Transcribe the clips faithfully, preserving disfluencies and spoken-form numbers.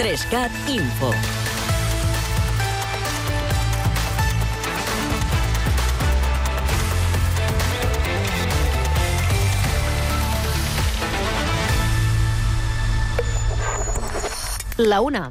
Trescat Info. La una.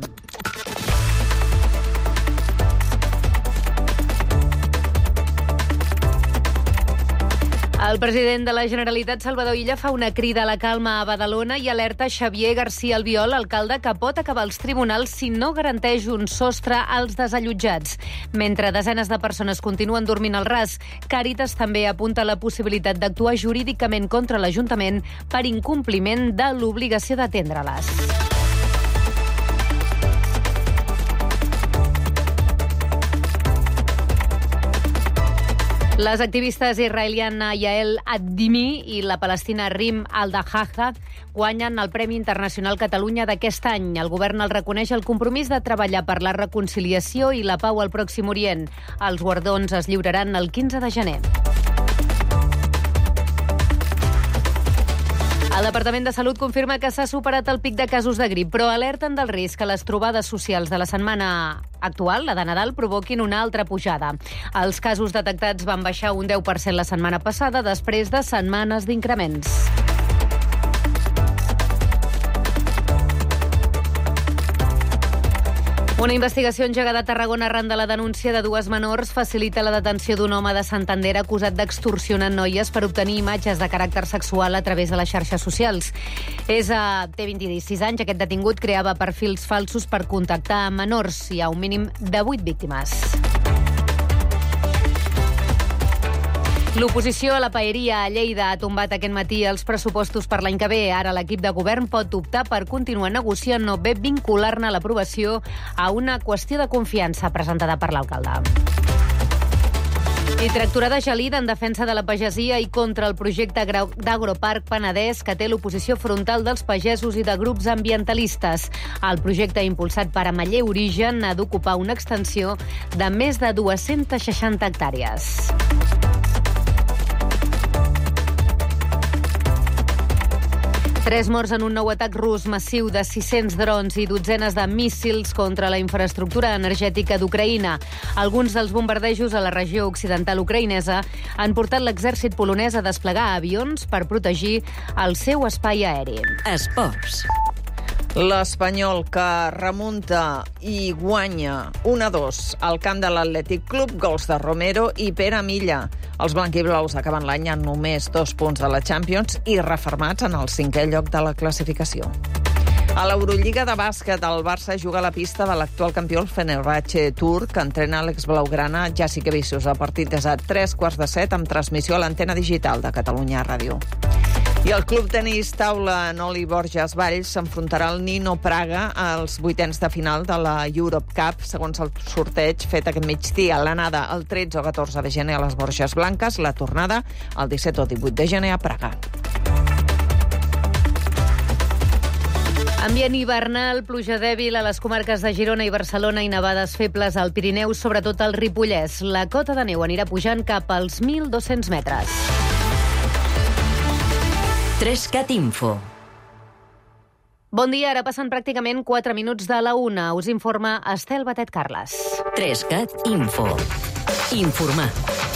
El president de la Generalitat, Salvador Illa, fa una crida a la calma a Badalona i alerta Xavier García Albiol, alcalde, que pot acabar als tribunals si no garanteix un sostre als desallotjats. Mentre desenes de persones continuen dormint al ras, Càritas també apunta la possibilitat d'actuar jurídicament contra l'Ajuntament per incompliment de l'obligació d'atendre-les. Les activistes israeliana Yael Adimi i la palestina Rim Al-Dahaha guanyen el Premi Internacional Catalunya d'aquest any. El govern el reconeix el compromís de treballar per la reconciliació i la pau al Pròxim Orient. Els guardons es lliuraran el quinze de gener. El Departament de Salut confirma que s'ha superat el pic de casos de grip, però alerten del risc que les trobades socials de la setmana actual, la de Nadal, provoquin una altra pujada. Els casos detectats van baixar un deu per cent la setmana passada, després de setmanes d'increments. Una investigació engegada a Tarragona arran de la denúncia de dues menors facilita la detenció d'un home de Santander acusat d'extorsionar noies per obtenir imatges de caràcter sexual a través de les xarxes socials. És a té vint-i-sis anys. Aquest detingut creava perfils falsos per contactar amb menors. Hi ha un mínim de vuit víctimes. L'oposició a la paeria a Lleida ha tombat aquest matí els pressupostos per l'any que ve. Ara l'equip de govern pot optar per continuar negociant o bé vincular-ne l'aprovació a una qüestió de confiança presentada per l'alcalde. I tractorada gelida en defensa de la pagesia i contra el projecte d'Agroparc Penedès que té l'oposició frontal dels pagesos i de grups ambientalistes. El projecte impulsat per Ameller Origen ha d'ocupar una extensió de més de dues-centes seixanta hectàrees. Tres morts en un nou atac rus massiu de sis-cents drons i dotzenes de míssils contra la infraestructura energètica d'Ucraïna. Alguns dels bombardejos a la regió occidental ucraïnesa han portat l'exèrcit polonès a desplegar avions per protegir el seu espai aeri. Esports. L'Espanyol, que remunta i guanya un a dos al camp de l'Atlètic Club, gols de Romero i Pere Milla. Els blanquiblaus acaben l'any amb només dos punts de la Champions i refermats en el cinquè lloc de la classificació. A l'Eurolliga de bàsquet, el Barça juga a la pista de l'actual campió, el Fenerbahçe turc, que entrena l'exblaugrana Jasikevičius. El partit és a tres quarts de set, amb transmissió a l'antena digital de Catalunya Ràdio. I el club tenis taula Noli Borges Valls s'enfrontarà al Nino Praga als vuitens de final de la Europe Cup, segons el sorteig fet aquest migdia. L'anada el tretze o catorze de gener a les Borges Blanques, la tornada el disset o divuit de gener a Praga. Ambient hivernal, pluja dèbil a les comarques de Girona i Barcelona i nevades febles al Pirineu, sobretot al Ripollès. La cota de neu anirà pujant cap als mil dos-cents metres. Trescat Info. Bon dia, ara passen pràcticament quatre minuts de la una. Us informa Estel Batet Carles. Trescat Info. Informar,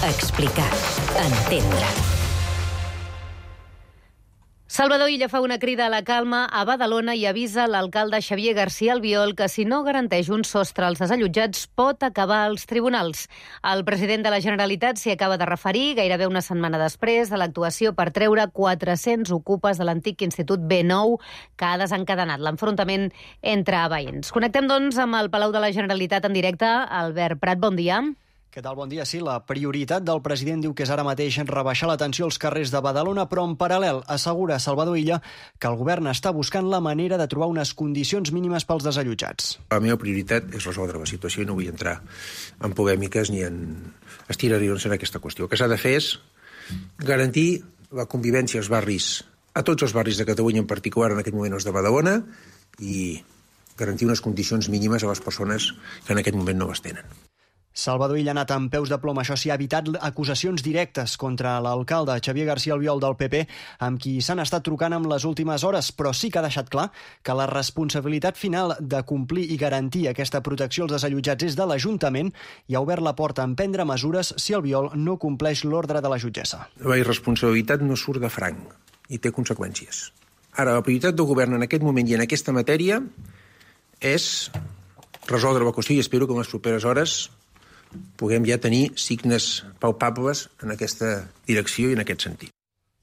explicar, entendre. Salvador Illa fa una crida a la calma a Badalona i avisa l'alcalde Xavier García Albiol que si no garanteix un sostre als desallotjats pot acabar als tribunals. El president de la Generalitat s'hi acaba de referir gairebé una setmana després de l'actuació per treure quatre-cents ocupes de l'antic Institut B nou que ha desencadenat l'enfrontament entre veïns. Connectem, doncs, amb el Palau de la Generalitat en directe. Albert Prat, bon dia. Què tal? Bon dia. Sí, la prioritat del president diu que és ara mateix rebaixar la tensió als carrers de Badalona, però en paral·lel assegura Salvador Illa que el govern està buscant la manera de trobar unes condicions mínimes pels desallotjats. La meva prioritat és resoldre la situació i no vull entrar en polèmiques ni en estirarions en aquesta qüestió. El que s'ha de fer és garantir la convivència als barris, a tots els barris de Catalunya, en particular en aquest moment els de Badalona, i garantir unes condicions mínimes a les persones que en aquest moment no les tenen. Salvador Illa ha anat amb peus de plom. Això sí, ha evitat acusacions directes contra l'alcalde Xavier García Albiol del P P, amb qui s'han estat trucant en les últimes hores, però sí que ha deixat clar que la responsabilitat final de complir i garantir aquesta protecció als desallotjats és de l'Ajuntament i ha obert la porta a emprendre mesures si Albiol no compleix l'ordre de la jutgessa. La irresponsabilitat no surt de franc i té conseqüències. Ara, la prioritat del govern en aquest moment i en aquesta matèria és resoldre la qüestió i espero que en les properes hores puguem ja tenir signes palpables en aquesta direcció i en aquest sentit.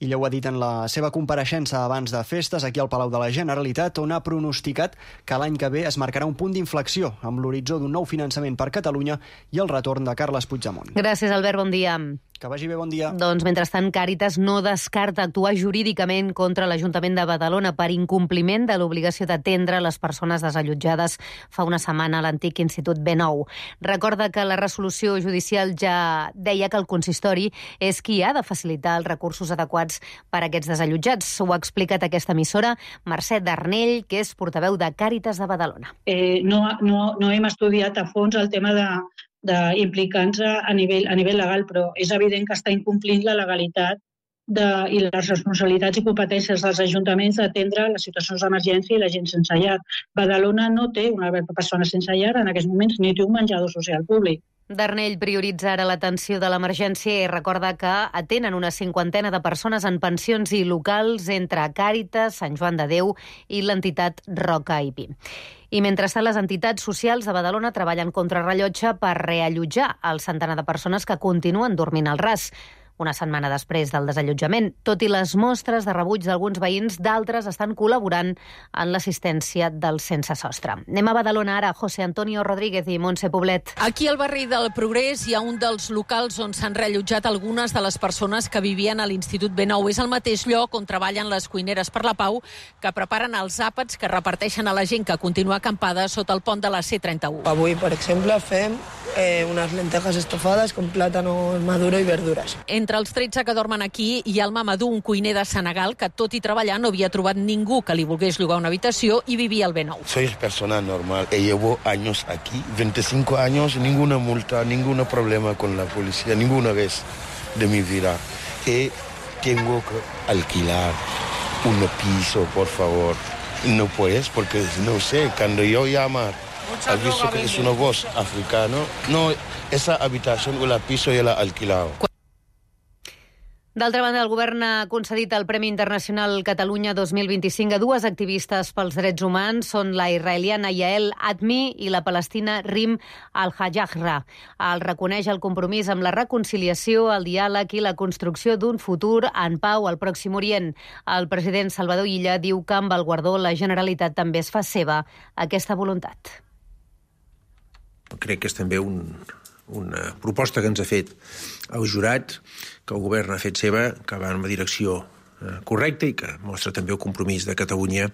Illa ho ha dit en la seva compareixença abans de festes aquí al Palau de la Generalitat, on ha pronosticat que l'any que ve es marcarà un punt d'inflexió amb l'horitzó d'un nou finançament per Catalunya i el retorn de Carles Puigdemont. Gràcies, Albert. Bon dia. Que vagi bé, bon dia. Doncs, mentrestant, Càritas no descarta actuar jurídicament contra l'Ajuntament de Badalona per incompliment de l'obligació d'atendre les persones desallotjades fa una setmana a l'antic Institut B nou. Recorda que la resolució judicial ja deia que el consistori és qui ha de facilitar els recursos adequats per a aquests desallotjats. Ho ha explicat aquesta emissora Mercè Darnell, que és portaveu de Càritas de Badalona. Eh, no, no, no hem estudiat a fons el tema de d'implicar-nos a nivell, a nivell legal, però és evident que està incomplint la legalitat de, i les responsabilitats i competències dels ajuntaments d'atendre les situacions d'emergència i la gent sense llar. Badalona no té una persona sense llar en aquests moments ni té un menjador social públic. Darnell prioritza ara l'atenció de l'emergència i recorda que atenen una cinquantena de persones en pensions i locals entre Càritas, Sant Joan de Déu i l'entitat Roca i Pi. I mentrestant, les entitats socials de Badalona treballen contra rellotge per reallotjar el centenar de persones que continuen dormint al ras. Una setmana després del desallotjament. Tot i les mostres de rebuig d'alguns veïns, d'altres estan col·laborant en l'assistència del sense sostre. Anem a Badalona ara, José Antonio Rodríguez i Montse Poblet. Aquí al barri del Progrés hi ha un dels locals on s'han reallotjat algunes de les persones que vivien a l'Institut B nou. És el mateix lloc on treballen les cuineres per la Pau, que preparen els àpats que reparteixen a la gent que continua acampada sota el pont de la C trenta-u. Avui, per exemple, fem eh, unes lentejas estofades con plátano maduro i verdures. Entre els tretze que dormen aquí hi ha el Mamadou, un cuiner de Senegal que, tot i treballar, no havia trobat ningú que li volgués llogar una habitació i vivia al B nou. Soy persona normal. Llevo años aquí, veinticinco años, ninguna multa, ningún problema con la policía, ninguna vez de mi vida. Y tengo que alquilar un piso, por favor. No puedes, porque no sé, cuando yo llamar, has visto que es una voz africana, no, esa habitación o la piso ya la he alquilado. D'altra banda, el govern ha concedit el Premi Internacional Catalunya dos mil vint-i-cinc a dues activistes pels drets humans. Són la israeliana Yael Admi i la palestina Rim Al-Hajjahra. El reconeix el compromís amb la reconciliació, el diàleg i la construcció d'un futur en pau al Pròxim Orient. El president Salvador Illa diu que amb el guardó la Generalitat també es fa seva aquesta voluntat. Crec que és també un... una proposta que ens ha fet el jurat, que el govern ha fet seva, que va en la direcció eh, correcta i que mostra també el compromís de Catalunya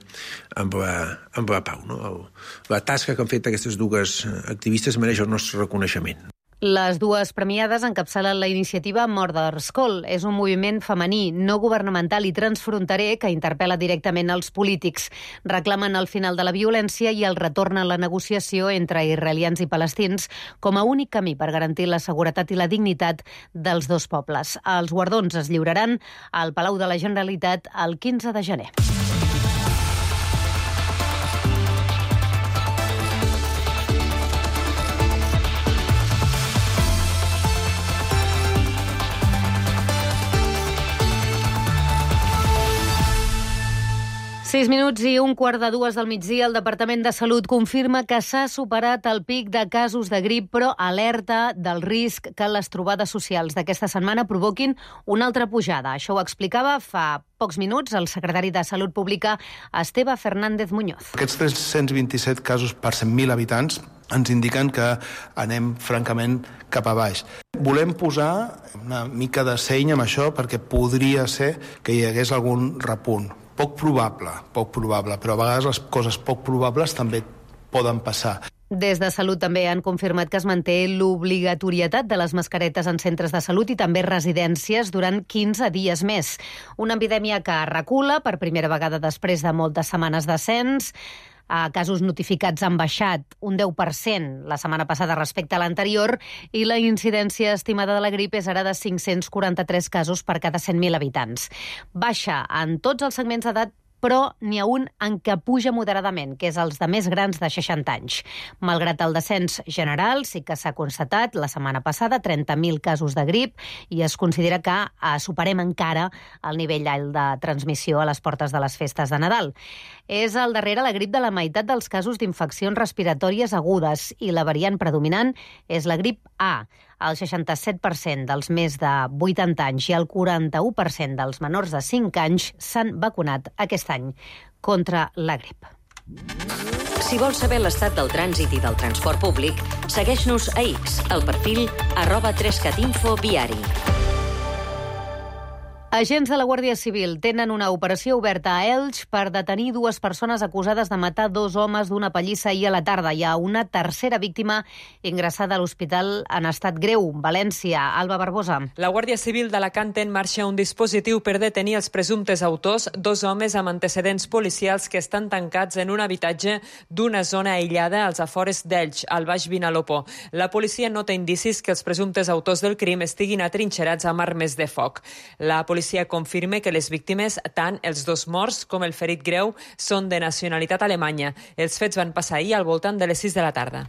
amb la, amb la pau. No? El, la tasca que han fet aquestes dues activistes mereix el nostre reconeixement. Les dues premiades encapçalen la iniciativa Mother's Call. És un moviment femení, no governamental i transfronterer que interpel·la directament als polítics. Reclamen el final de la violència i el retorn a la negociació entre israelians i palestins com a únic camí per garantir la seguretat i la dignitat dels dos pobles. Els guardons es lliuraran al Palau de la Generalitat el quinze de gener. Sis minuts i un quart de dues del migdia, el Departament de Salut confirma que s'ha superat el pic de casos de grip, però alerta del risc que les trobades socials d'aquesta setmana provoquin una altra pujada. Això ho explicava fa pocs minuts el secretari de Salut Pública, Esteve Fernández Muñoz. Aquests tres-cents vint-i-set casos per cent mil habitants ens indiquen que anem francament cap a baix. Volem posar una mica de seny amb això perquè podria ser que hi hagués algun repunt. Poc probable, poc probable, però a vegades les coses poc probables també poden passar. Des de Salut també han confirmat que es manté l'obligatorietat de les mascaretes en centres de salut i també residències durant quinze dies més. Una epidèmia que recula per primera vegada després de moltes setmanes d'ascens. Casos notificats han baixat un deu per cent la setmana passada respecte a l'anterior i la incidència estimada de la grip és ara de cinc-cents quaranta-tres casos per cada cent mil habitants. Baixa en tots els segments d'edat, però n'hi ha un en què puja moderadament, que és els de més grans de seixanta anys. Malgrat el descens general, sí que s'ha constatat la setmana passada trenta mil casos de grip i es considera que superem encara el nivell alt de transmissió a les portes de les festes de Nadal. És al darrere la grip de la meitat dels casos d'infeccions respiratòries agudes i la variant predominant és la grip A. El seixanta-set per cent dels més de vuitanta anys i el quaranta-u per cent dels menors de cinc anys s'han vacunat aquest any contra la grip. Si vols saber l'estat del trànsit i del transport públic, segueix-nos a X, al perfil arroba trescatinfo viari. Agents de la Guàrdia Civil tenen una operació oberta a Elx per detenir dues persones acusades de matar dos homes d'una pallissa ahir a la tarda. Hi ha una tercera víctima ingressada a l'hospital en estat greu. València, Alba Barbosa. La Guàrdia Civil d'Alacant té en marxa un dispositiu per detenir els presumptes autors, dos homes amb antecedents policials que estan tancats en un habitatge d'una zona aïllada als afores d'Elx, al Baix Vinalopó. La policia no té indicis que els presumptes autors del crim estiguin atrinxerats amb armes de foc. La policia confirma que les víctimes, tant els dos morts com el ferit greu, són de nacionalitat alemanya. Els fets van passar ahir al voltant de les sis de la tarda.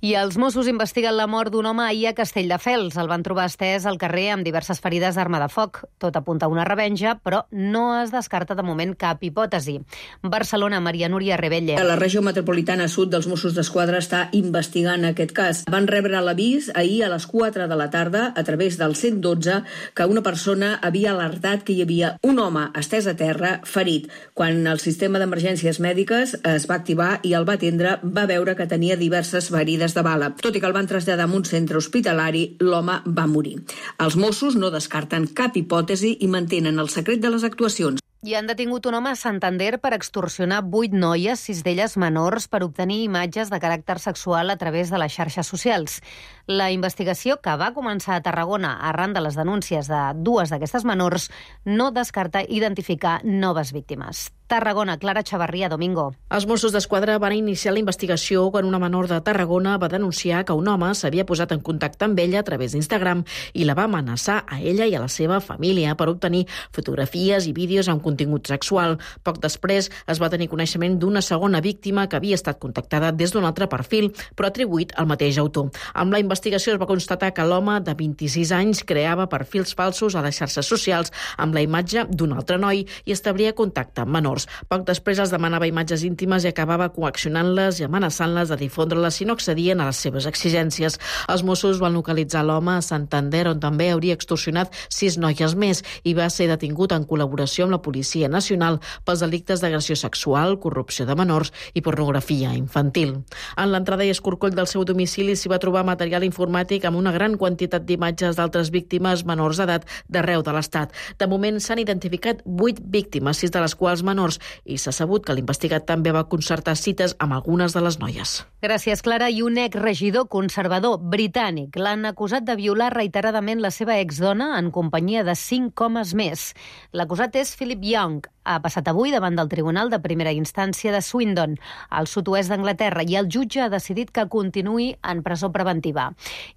I els Mossos investiguen la mort d'un home ahir a Castelldefels. El van trobar estès al carrer amb diverses ferides d'arma de foc. Tot apunta a una revenja, però no es descarta de moment cap hipòtesi. Barcelona, Maria Núria Rebelle. La regió metropolitana sud dels Mossos d'Esquadra està investigant aquest cas. Van rebre l'avís ahir a les quatre de la tarda a través del cent dotze que una persona havia alertat que hi havia un home estès a terra ferit. Quan el sistema d'emergències mèdiques es va activar i el va atendre, va veure que tenia diverses ferides de bala. Tot i que el van traslladar a un centre hospitalari, l'home va morir. Els Mossos no descarten cap hipòtesi i mantenen el secret de les actuacions. I han detingut un home a Santander per extorsionar vuit noies, sis d'elles menors, per obtenir imatges de caràcter sexual a través de les xarxes socials. La investigació, que va començar a Tarragona arran de les denúncies de dues d'aquestes menors, no descarta identificar noves víctimes. Tarragona, Clara Chavarria, Domingo. Els Mossos d'Esquadra van iniciar la investigació quan una menor de Tarragona va denunciar que un home s'havia posat en contacte amb ella a través d'Instagram i la va amenaçar a ella i a la seva família per obtenir fotografies i vídeos amb contingut sexual. Poc després es va tenir coneixement d'una segona víctima que havia estat contactada des d'un altre perfil, però atribuït al mateix autor. Amb la investigació es va constatar que l'home de vint-i-sis anys creava perfils falsos a les xarxes socials amb la imatge d'un altre noi i establia contacte amb menors. Poc després els demanava imatges íntimes i acabava coaccionant-les i amenaçant-les de difondre-les si no accedien a les seves exigències. Els Mossos van localitzar l'home a Santander, on també hauria extorsionat sis noies més i va ser detingut en col·laboració amb la Policia Nacional pels delictes d'agressió sexual, corrupció de menors i pornografia infantil. En l'entrada i escorcoll del seu domicili s'hi va trobar material informàtic amb una gran quantitat d'imatges d'altres víctimes menors d'edat d'arreu de l'Estat. De moment s'han identificat vuit víctimes, sis de les quals menors, i s'ha sabut que l'investigat també va concertar cites amb algunes de les noies. Gràcies, Clara. I un exregidor conservador britànic l'han acusat de violar reiteradament la seva exdona en companyia de cinc homes més. L'acusat és Philip Young. Ha passat avui davant del Tribunal de Primera Instància de Swindon, al sud-oest d'Anglaterra, i el jutge ha decidit que continuï en presó preventiva.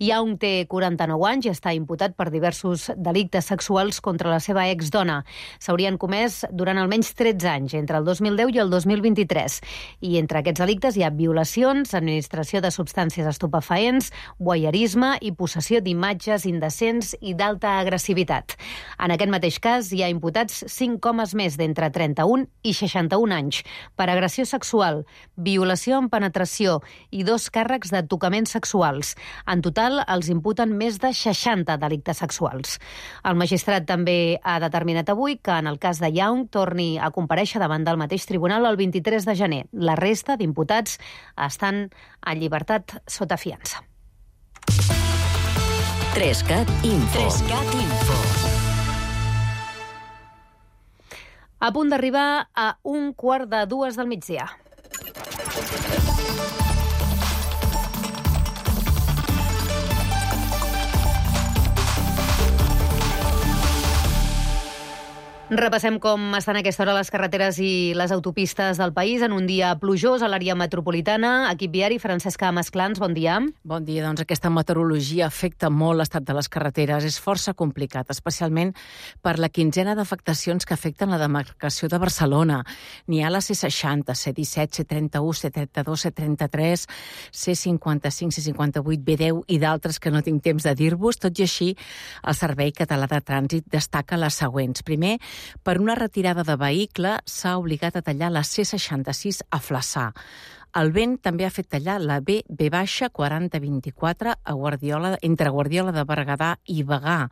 Young té quaranta-nou anys i està imputat per diversos delictes sexuals contra la seva exdona. S'haurien comès durant almenys tretze anys, entre el dos mil deu i el dos mil vint-i-tres. I entre aquests delictes hi ha violacions, administració de substàncies estupefaents, voyeurisme i possessió d'imatges indecents i d'alta agressivitat. En aquest mateix cas hi ha imputats cinc homes més d'entre entre trenta-un i seixanta-un anys, per agressió sexual, violació amb penetració i dos càrrecs de tocaments sexuals. En total, els imputen més de seixanta delictes sexuals. El magistrat també ha determinat avui que, en el cas de Young, torni a comparèixer davant del mateix tribunal el vint-i-tres de gener. La resta d'imputats estan en llibertat sota fiança. Trescat Info. Trescat Info. A punt d'arribar a un quart de dues del migdia. Repassem com estan a aquesta hora les carreteres i les autopistes del país en un dia plujós a l'àrea metropolitana. Equip viari, Francesca Masclans, bon dia. Bon dia. Doncs aquesta meteorologia afecta molt l'estat de les carreteres. És força complicat, especialment per la quinzena d'afectacions que afecten la demarcació de Barcelona. N'hi ha la C seixanta, C disset, C trenta-u, C trenta-dos, C trenta-tres, C cinquanta-cinc, C cinquanta-vuit, B deu i d'altres que no tinc temps de dir-vos. Tot i així, el Servei Català de Trànsit destaca les següents. Primer, per una retirada de vehicle s'ha obligat a tallar la C seixanta-sis a Flaçà. El vent també ha fet tallar la B B quaranta vint-i-quatre a Guardiola, entre Guardiola de Berguedà i Bagà.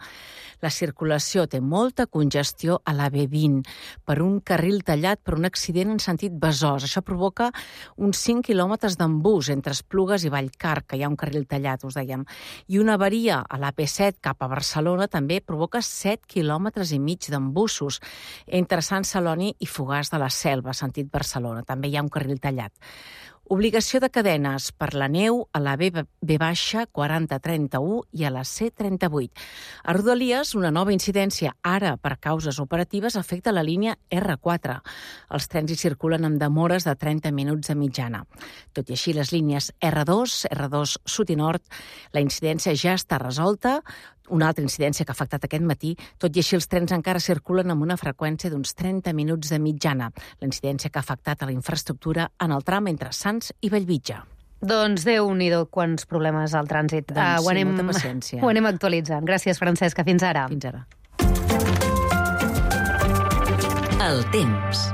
La circulació té molta congestió a la B vint per un carril tallat per un accident en sentit Besòs. Això provoca uns cinc quilòmetres d'embús entre Esplugues i Vallcarc, que hi ha un carril tallat, us dèiem. I una avaria a la P set cap a Barcelona també provoca set quilòmetres i mig d'embussos entre Sant Celoni i Fogars de la Selva, sentit Barcelona. També hi ha un carril tallat. Obligació de cadenes per la neu a la B B quaranta trenta-u i a la C trenta-vuit. A Rodalies, una nova incidència, ara per causes operatives, afecta la línia R quatre. Els trens hi circulen amb demores de trenta minuts de mitjana. Tot i així, les línies R dos, R dos Sud i Nord, la incidència ja està resolta. Una altra incidència que ha afectat aquest matí, tot i així els trens encara circulen amb una freqüència d'uns trenta minuts de mitjana. La incidència que ha afectat a la infraestructura en el tram entre Sants i Bellvitge. Doncs Déu-n'hi-do, quants problemes al trànsit. Doncs uh, ho sí, anem, molta paciència. Ho anem actualitzant. Gràcies, Francesca. Fins ara. Fins ara. El temps.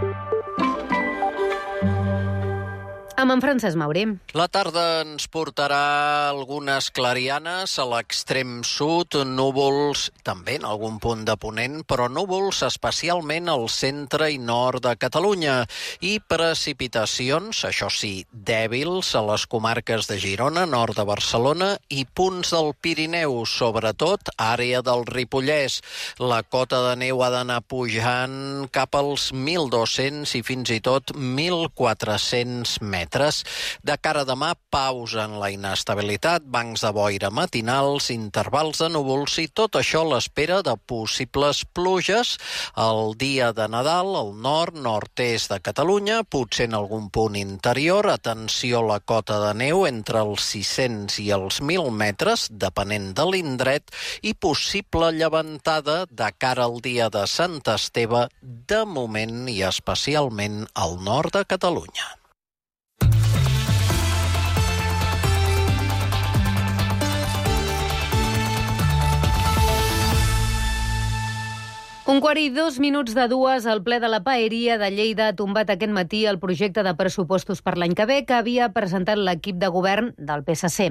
Amb en Francesc Mauri. La tarda ens portarà algunes clarianes a l'extrem sud, núvols també en algun punt de ponent, però núvols especialment al centre i nord de Catalunya i precipitacions, això sí, dèbils a les comarques de Girona, nord de Barcelona i punts del Pirineu, sobretot àrea del Ripollès. La cota de neu ha d'anar pujant cap als mil dos-cents i fins i tot mil quatre-cents metres. De cara a demà, pausa en la inestabilitat, bancs de boira matinals, intervals de núvols i tot això a l'espera de possibles pluges el dia de Nadal al nord, nord-est de Catalunya, potser en algun punt interior. Atenció a la cota de neu entre els sis-cents i els mil metres, depenent de l'indret, i possible llevantada de cara al dia de Sant Esteve, de moment i especialment al nord de Catalunya. Un quart i dos minuts de dues, el ple de la Paeria de Lleida ha tombat aquest matí el projecte de pressupostos per l'any que ve que havia presentat l'equip de govern del P S C.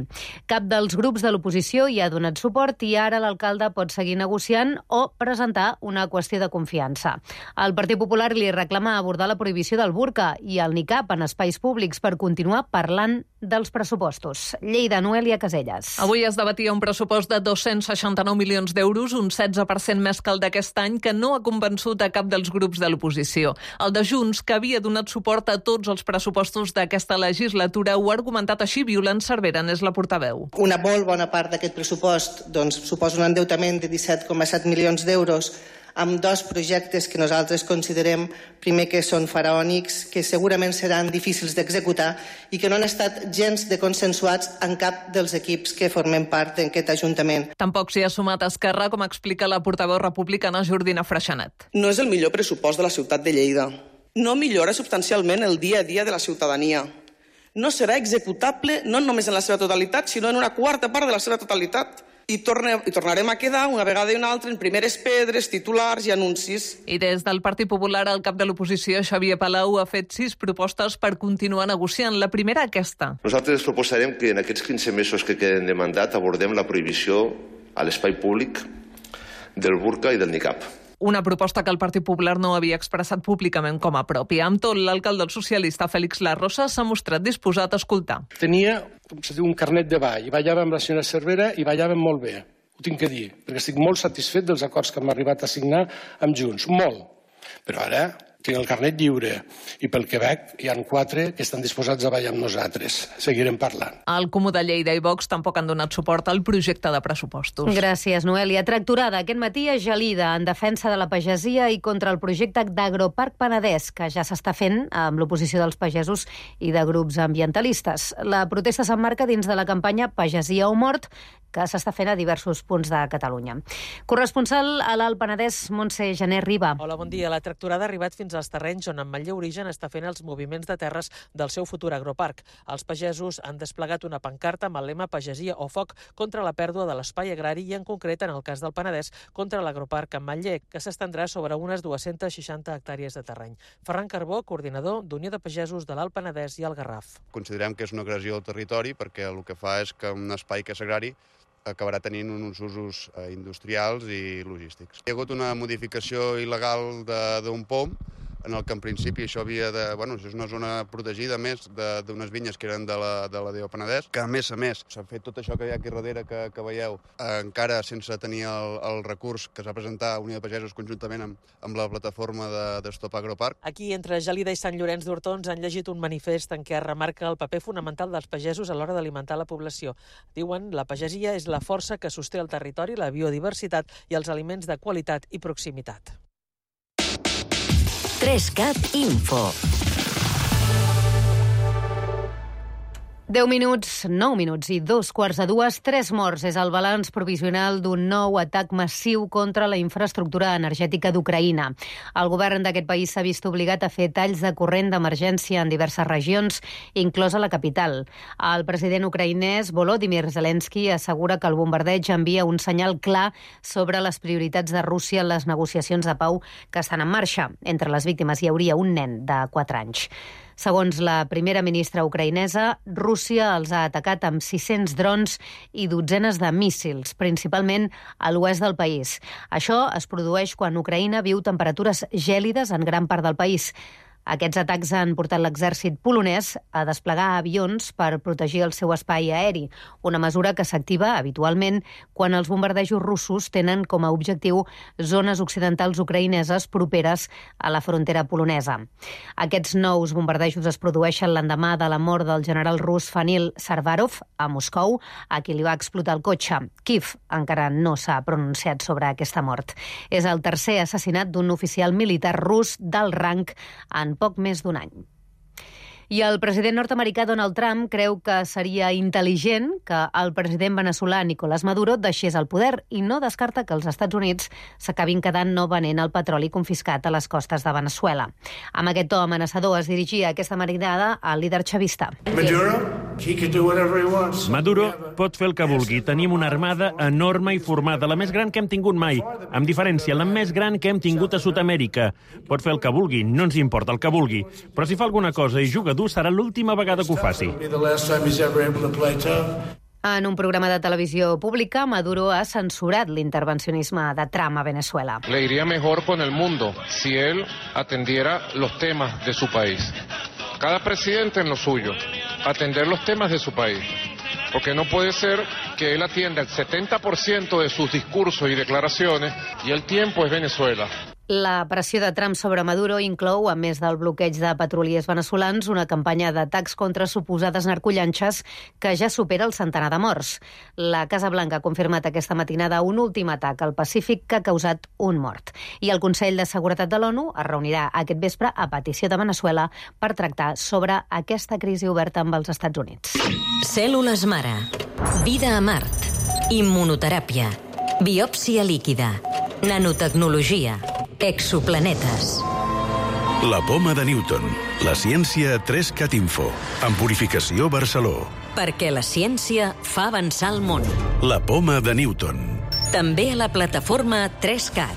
Cap dels grups de l'oposició hi ha donat suport i ara l'alcalde pot seguir negociant o presentar una qüestió de confiança. El Partit Popular li reclama abordar la prohibició del burca i el nicab en espais públics per continuar parlant dels pressupostos. Lleida, Noelia Casellas. Avui es debatia un pressupost de dos-cents seixanta-nou milions d'euros, un setze per cent més que el d'aquest any, que no ha convençut a cap dels grups de l'oposició. El de Junts, que havia donat suport a tots els pressupostos d'aquesta legislatura, ho ha argumentat així. Violant Cervera és la portaveu. Una molt bona part d'aquest pressupost doncs, suposa un endeutament de disset coma set milions d'euros amb dos projectes que nosaltres considerem, primer, que són faraònics, que segurament seran difícils d'executar i que no han estat gens de consensuats en cap dels equips que formem part d'aquest Ajuntament. Tampoc s'hi ha sumat Esquerra, com explica la portaveu republicana Jordina Freixanet. No és el millor pressupost de la ciutat de Lleida. No millora substancialment el dia a dia de la ciutadania. No serà executable no només en la seva totalitat, sinó en una quarta part de la seva totalitat. I, torne, i tornarem a quedar una vegada i una altra en primeres pedres, titulars i anuncis. I des del Partit Popular, el cap de l'oposició, Xavier Palau, ha fet sis propostes per continuar negociant. La primera, aquesta. Nosaltres proposarem que en aquests quinze mesos que queden de mandat abordem la prohibició a l'espai públic del burca i del nicab. Una proposta que el Partit Popular no havia expressat públicament com a pròpia. Amb tot, l'alcalde socialista Félix Larrosa s'ha mostrat disposat a escoltar. Tenia, com se diu, un carnet de ball i ballava amb la senyora Cervera i ballàvem molt bé. Ho tinc que dir, perquè estic molt satisfet dels acords que hem arribat a signar amb Junts. Molt. Però ara tinc el carnet lliure, i pel que veig hi ha quatre que estan disposats a ballar amb nosaltres. Seguirem parlant. El Comú de Lleida i Vox tampoc han donat suport al projecte de pressupostos. Gràcies, Noelia. Tracturada aquest matí a Gelida en defensa de la pagesia i contra el projecte d'Agroparc Penedès, que ja s'està fent amb l'oposició dels pagesos i de grups ambientalistes. La protesta s'emmarca dins de la campanya Pagesia o mort, que s'està fent a diversos punts de Catalunya. Corresponsal a l'Alt Penedès, Montse Gené Riba. Hola, bon dia. La tracturada ha arribat fins als terrenys on Ametller Origen està fent els moviments de terres del seu futur agroparc. Els pagesos han desplegat una pancarta amb el lema Pagesia o foc contra la pèrdua de l'espai agrari i, en concret, en el cas del Penedès, contra l'agroparc Ametller, que s'estendrà sobre unes dues-centes seixanta hectàrees de terreny. Ferran Carbó, coordinador d'Unió de Pagesos de l'Alt Penedès i el Garraf. Considerem que és una agressió al territori perquè el que fa és que un espai que és agrari acabarà tenint uns usos industrials i logístics. Hi ha hagut una modificació il·legal d'un pom, en el que en principi això havia de... Bueno, això és una zona protegida, més, d'unes vinyes que eren de la, de la D O Penedès, que a més a més s'ha fet tot això que hi ha aquí darrere que, que veieu, eh, encara sense tenir el, el recurs que s'ha presentat a Unió de Pagesos conjuntament amb, amb la plataforma de, de Stop Agroparc. Aquí, entre Gelida i Sant Llorenç d'Hortons, han llegit un manifest en què es remarca el paper fonamental dels pagesos a l'hora d'alimentar la població. Diuen, la pagesia és la força que sosté el territori, la biodiversitat i els aliments de qualitat i proximitat. tres cat Info. deu minuts, nou minuts i dos quarts de dues, tres morts. És el balanç provisional d'un nou atac massiu contra la infraestructura energètica d'Ucraïna. El govern d'aquest país s'ha vist obligat a fer talls de corrent d'emergència en diverses regions, inclosa la capital. El president ucraïnès Volodymyr Zelensky assegura que el bombardeig envia un senyal clar sobre les prioritats de Rússia en les negociacions de pau que estan en marxa. Entre les víctimes hi hauria un nen de quatre anys. Segons la primera ministra ucraïnesa, Rússia els ha atacat amb sis-cents drons i dotzenes de míssils, principalment a l'oest del país. Això es produeix quan Ucraïna viu temperatures gèlides en gran part del país. Aquests atacs han portat l'exèrcit polonès a desplegar avions per protegir el seu espai aeri, una mesura que s'activa habitualment quan els bombardejos russos tenen com a objectiu zones occidentals ucraïneses properes a la frontera polonesa. Aquests nous bombardejos es produeixen l'endemà de la mort del general rus Fanil Sarvarov a Moscou, a qui li va explotar el cotxe. Kiev encara no s'ha pronunciat sobre aquesta mort. És el tercer assassinat d'un oficial militar rus d'alt rang en poc més d'un any. I el president nord-americà Donald Trump creu que seria intel·ligent que el president veneçolà Nicolás Maduro deixés el poder i no descarta que els Estats Units s'acabin quedant no venent el petroli confiscat a les costes de Veneçuela. Amb aquest to amenaçador es dirigia aquesta marinada al líder chavista. Maduro pot fer el que vulgui. Tenim una armada enorme i formada, la més gran que hem tingut mai. Amb diferència, la més gran que hem tingut a Sud-amèrica. Pot fer el que vulgui, no ens importa el que vulgui. Però si fa alguna cosa i juga dur, serà l'última vegada que ho faci. En un programa de televisió pública, Maduro ha censurat l'intervencionisme de Trump a Venezuela. Le iría mejor con el mundo si él atendiera los temas de su país. Cada presidente en lo suyo, atender los temas de su país. Porque no puede ser que él atienda el setenta por ciento de sus discursos y declaraciones y el tiempo es Venezuela. La pressió de Trump sobre Maduro inclou, a més del bloqueig de petroliers veneçolans, una campanya d'atacs contra suposades narcollanxes que ja supera el centenar de morts. La Casa Blanca ha confirmat aquesta matinada un últim atac al Pacífic que ha causat un mort. I el Consell de Seguretat de l'ONU es reunirà aquest vespre a petició de Veneçuela per tractar sobre aquesta crisi oberta amb els Estats Units. Cèl·lules mare. Vida a Mart. Immunoteràpia. Biòpsia líquida. Nanotecnologia. Exoplanetes. La poma de Newton. La ciència tres cat Info. En Purificació Barceló. Perquè la ciència fa avançar el món. La poma de Newton. També a la plataforma tres cat.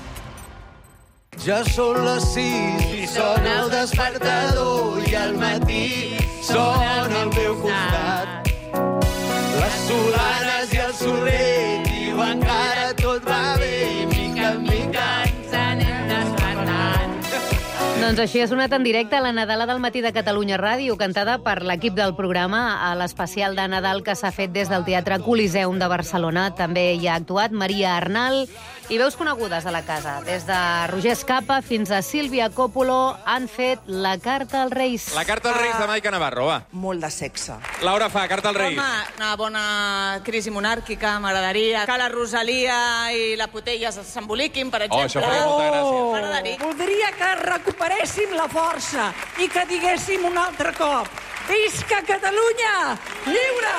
Ja són les sis i sona el despertador i al matí sona al meu costat. Les solanes i el soler diuen que ara tot va bé i mica en mica ens anem despertant. Doncs així ha sonat en directe la Nadala del matí de Catalunya Ràdio, cantada per l'equip del programa a l'especial de Nadal que s'ha fet des del Teatre Coliseum de Barcelona. També hi ha actuat Maria Arnal i veus conegudes de la casa. Des de Roger Escapa fins a Sílvia Coppolo han fet la carta als Reis. La carta als Reis de Maica Navarro, va. Molt de sexe. Laura fa, carta als Reis. Home, una bona crisi monàrquica, m'agradaria que la Rosalia i la Potella s'emboliquin, per exemple. Oh, això faria molta gràcia. M'agradaria. Voldria que recuperéssim la força i que diguéssim un altre cop: visca Catalunya lliure!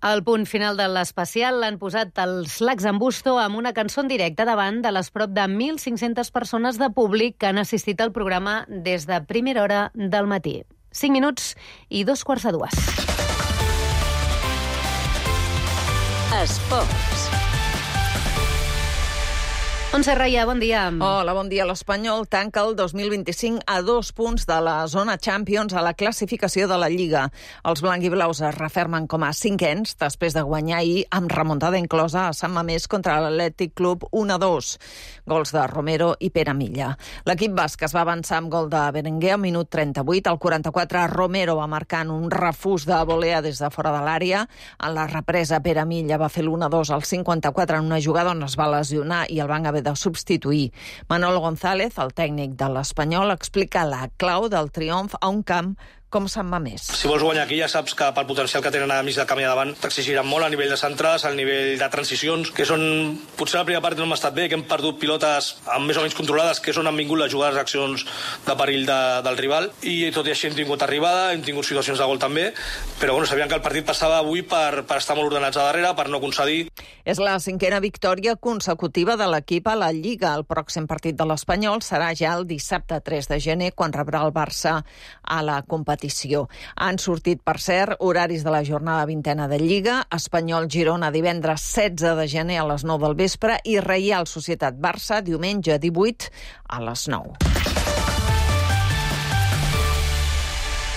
Al punt final de l'especial l'han posat els Lacs en Busto amb una cançó en directe davant de les prop de mil cinc-centes persones de públic que han assistit al programa des de primera hora del matí. Cinc minuts i dos quarts de dues. Esports. Montse Raia, bon dia. Hola, bon dia. L'Espanyol tanca el dos mil vint-i-cinc a dos punts de la zona Champions a la classificació de la Lliga. Els blanc-i-blaus es refermen com a cinquens després de guanyar ahir amb remuntada inclosa a Sant Mamés contra l'Atlètic Club un a dos. Gols de Romero i Pere Milla. L'equip basc es va avançar amb gol de Berenguer al minut trenta-vuit. Al quaranta-quatre, Romero va marcar en un refús de volea des de fora de l'àrea. En la represa, Pere Milla va fer l'un a dos al cinquanta-quatre en una jugada on es va lesionar i el van haver de substituir. Manolo González, el tècnic de l'Espanyol, explica la clau del triomf a un camp com Sant Mamés. Si vols guanyar aquí ja saps que pel potencial que tenen a mig de camí a davant t'exigiran molt a nivell de centres, a nivell de transicions, que són... Potser la primera part no hem estat bé, que hem perdut pilotes amb més o menys controlades, que és on han vingut les jugades d'accions de perill de, del rival, i tot i així hem tingut arribada, hem tingut situacions de gol també, però bueno, sabíem que el partit passava avui per, per estar molt ordenats a darrere, per no concedir. És la cinquena victòria consecutiva de l'equip a la Lliga. El pròxim partit de l'Espanyol serà ja el dissabte tres de gener, quan rebrà el Barça a la competició. Han sortit, per cert, horaris de la jornada vintena de Lliga: Espanyol-Girona divendres setze de gener a les nou del vespre i Reial Societat-Barça diumenge divuit a les nou.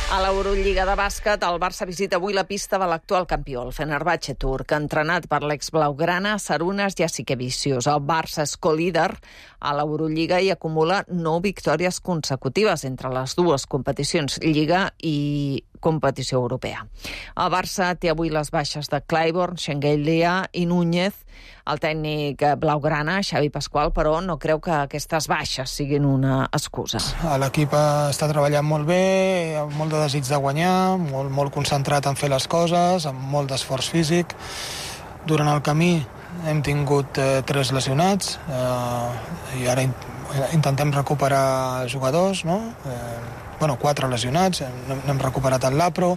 A l'Eurolliga de bàsquet, el Barça visita avui la pista de l'actual campió, el Fenerbahçe turc, entrenat per l'ex-blaugrana Sarunas Jasikevičius. El Barça és co-líder a l'Eurolliga i acumula nou victòries consecutives entre les dues competicions, Lliga i competició europea. El Barça té avui les baixes de Clyburn, Shengelia i Núñez. El tècnic blaugrana, Xavi Pasqual, però no creu que aquestes baixes siguin una excusa. L'equip està treballant molt bé, amb molt de desig de guanyar, molt, molt concentrat en fer les coses, amb molt d'esforç físic. Durant el camí hem tingut eh, tres lesionats eh, i ara in intentem recuperar jugadors, no? Eh, bueno, quatre lesionats, n'hem recuperat el Lapro,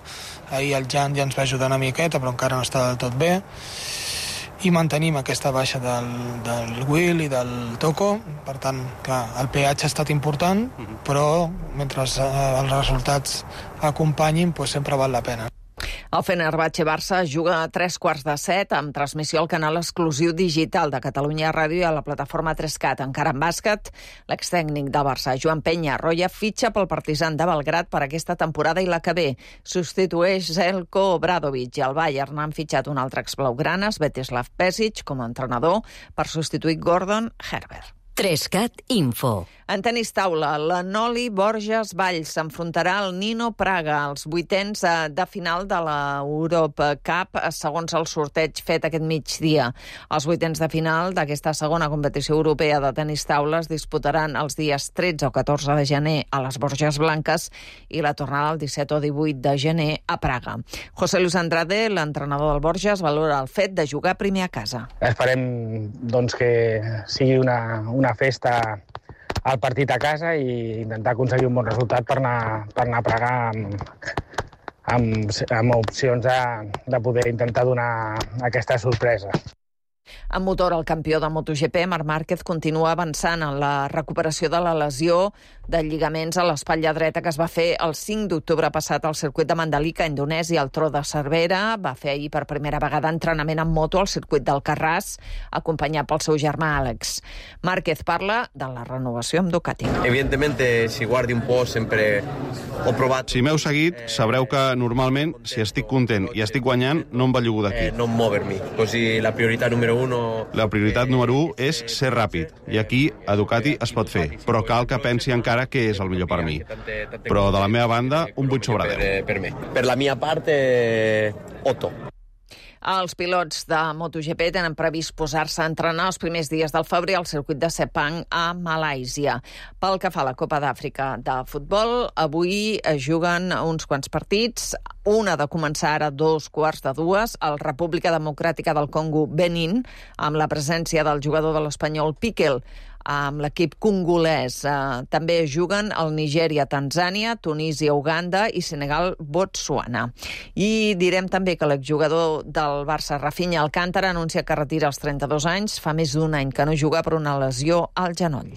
ahir el Jan ja ens va ajudar una miqueta, però encara no està del tot bé, i mantenim aquesta baixa del, del Will i del Toko. Per tant, clar, el peatge ha estat important, però mentre els resultats acompanyin, doncs sempre val la pena. El Fenerbahçe Barça juga a tres quarts de set amb transmissió al canal exclusiu digital de Catalunya Ràdio i a la plataforma tres cat. Encara en bàsquet, l'extècnic del Barça, Joan Peñarroya, fitxa pel Partizan de Belgrad per aquesta temporada i la que ve. Substitueix Zeljko Obradovic i el Bayern han fitxat un altre exblaugrana, Svetislav Pesic, com a entrenador per substituir Gordon Herbert. tres cat Info. En tenis taula, la Noli Borges Valls s'enfrontarà al Nino Praga als vuitens de final de la Europe Cup, segons el sorteig fet aquest migdia. Els vuitens de final d'aquesta segona competició europea de tenis taula es disputaran els dies tretze o catorze de gener a les Borges Blanques i la tornada el disset o divuit de gener a Praga. José Luis Andrade, l'entrenador del Borges, valora el fet de jugar primer a casa. Esperem doncs, que sigui una, una festa al partit a casa i intentar aconseguir un bon resultat per anar, per anar a Praga amb, amb, amb opcions de, de poder intentar donar aquesta sorpresa. En motor, el campió de MotoGP, Marc Márquez, continua avançant en la recuperació de la lesió de lligaments a l'espatlla dreta que es va fer el cinc d'octubre passat al circuit de Mandalika, Indonèsia. El Tro de Cervera va fer ahir per primera vegada entrenament en moto al circuit d'Alcarràs, acompanyat pel seu germà Àlex. Márquez parla de la renovació amb Ducati. Evidentemente, si guardi un po' sempre ho provat. Si m'heu seguit, sabreu que normalment, si estic content i estic guanyant, no em bellugo d'aquí. Eh, non movermi, così la priorità número uno... La prioritat número u és ser ràpid, i aquí a Ducati es pot fer, però cal que pensi encara què és el millor per mi. Però de la meva banda, un vuit sobre deu. Per, per, per la mia part, eh, otto. Els pilots de MotoGP tenen previst posar-se a entrenar els primers dies del febrer al circuit de Sepang a Malàisia. Pel que fa a la Copa d'Àfrica de futbol, avui es juguen uns quants partits. Una de començar ara dos quarts de dues, al República Democràtica del Congo Benin, amb la presència del jugador de l'Espanyol Piquel, amb l'equip congolès. Eh, també juguen el Nigèria, Tanzània, Tunísia, Uganda i Senegal, Botswana. I direm també que l'exjugador del Barça, Rafinha Alcántara, anuncia que retira als trenta-dos anys. Fa més d'un any que no juga per una lesió al genoll.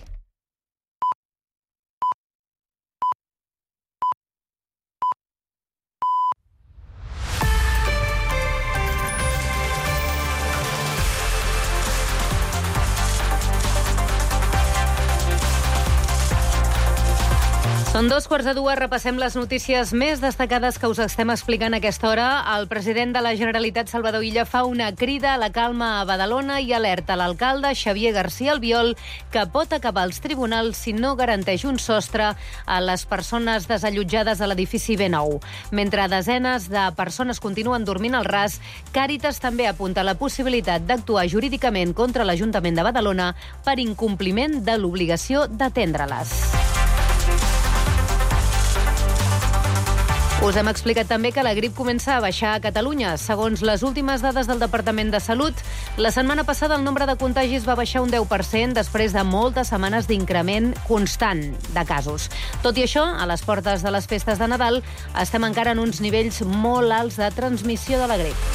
Són dos quarts de dues, repassem les notícies més destacades que us estem explicant a aquesta hora. El president de la Generalitat, Salvador Illa, fa una crida a la calma a Badalona i alerta l'alcalde Xavier García Albiol que pot acabar als tribunals si no garanteix un sostre a les persones desallotjades a l'edifici B nou. Mentre desenes de persones continuen dormint al ras, Càritas també apunta la possibilitat d'actuar jurídicament contra l'Ajuntament de Badalona per incompliment de l'obligació d'atendre-les. Us hem explicat també que la grip comença a baixar a Catalunya. Segons les últimes dades del Departament de Salut, la setmana passada el nombre de contagis va baixar un deu per cent després de moltes setmanes d'increment constant de casos. Tot i això, a les portes de les festes de Nadal estem encara en uns nivells molt alts de transmissió de la grip.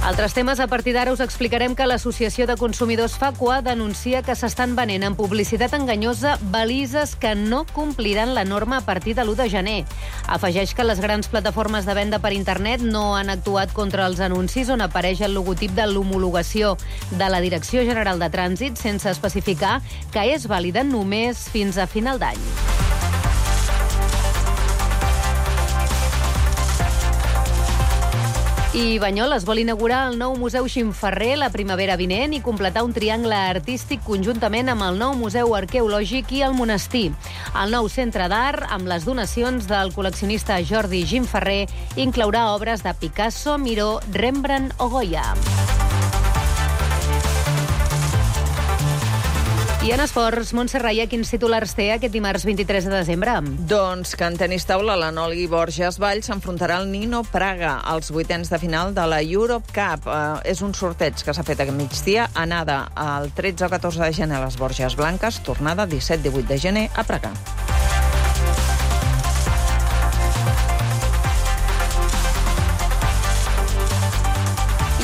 Altres temes, a partir d'ara us explicarem que l'Associació de Consumidors Facua denuncia que s'estan venent en publicitat enganyosa balises que no compliran la norma a partir de l'u de gener. Afegeix que les grans plataformes de venda per internet no han actuat contra els anuncis on apareix el logotip de l'homologació de la Direcció General de Trànsit sense especificar que és vàlida només fins a final d'any. I Banyoles vol inaugurar el nou Museu Ximferrer la primavera vinent i completar un triangle artístic conjuntament amb el nou Museu Arqueològic i el Monestir. El nou centre d'art, amb les donacions del col·leccionista Jordi Ximferrer, inclourà obres de Picasso, Miró, Rembrandt o Goya. I en esports, Montse Raia, quins titulars té aquest dimarts vint-i-tres de desembre? Doncs que en tenis taula la Noli Borges Vall s'enfrontarà al Nino Praga als vuitens de final de la Europe Cup. Eh, és un sorteig que s'ha fet aquest migdia, anada el tretze o catorze de gener a les Borges Blanques, tornada disset divuit de gener a Praga.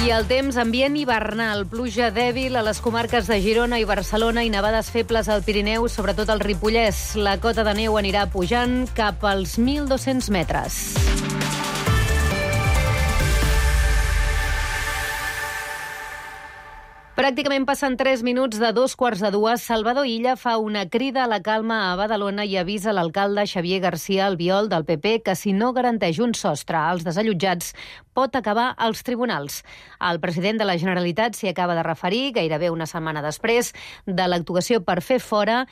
I el temps, ambient hivernal, pluja dèbil a les comarques de Girona i Barcelona i nevades febles al Pirineu, sobretot al Ripollès. La cota de neu anirà pujant cap als mil dos-cents metres. Pràcticament passen tres minuts de dos quarts de dues. Salvador Illa fa una crida a la calma a Badalona i avisa l'alcalde Xavier García Albiol del P P que si no garanteix un sostre als desallotjats pot acabar als tribunals. El president de la Generalitat s'hi acaba de referir gairebé una setmana després de l'actuació per fer fora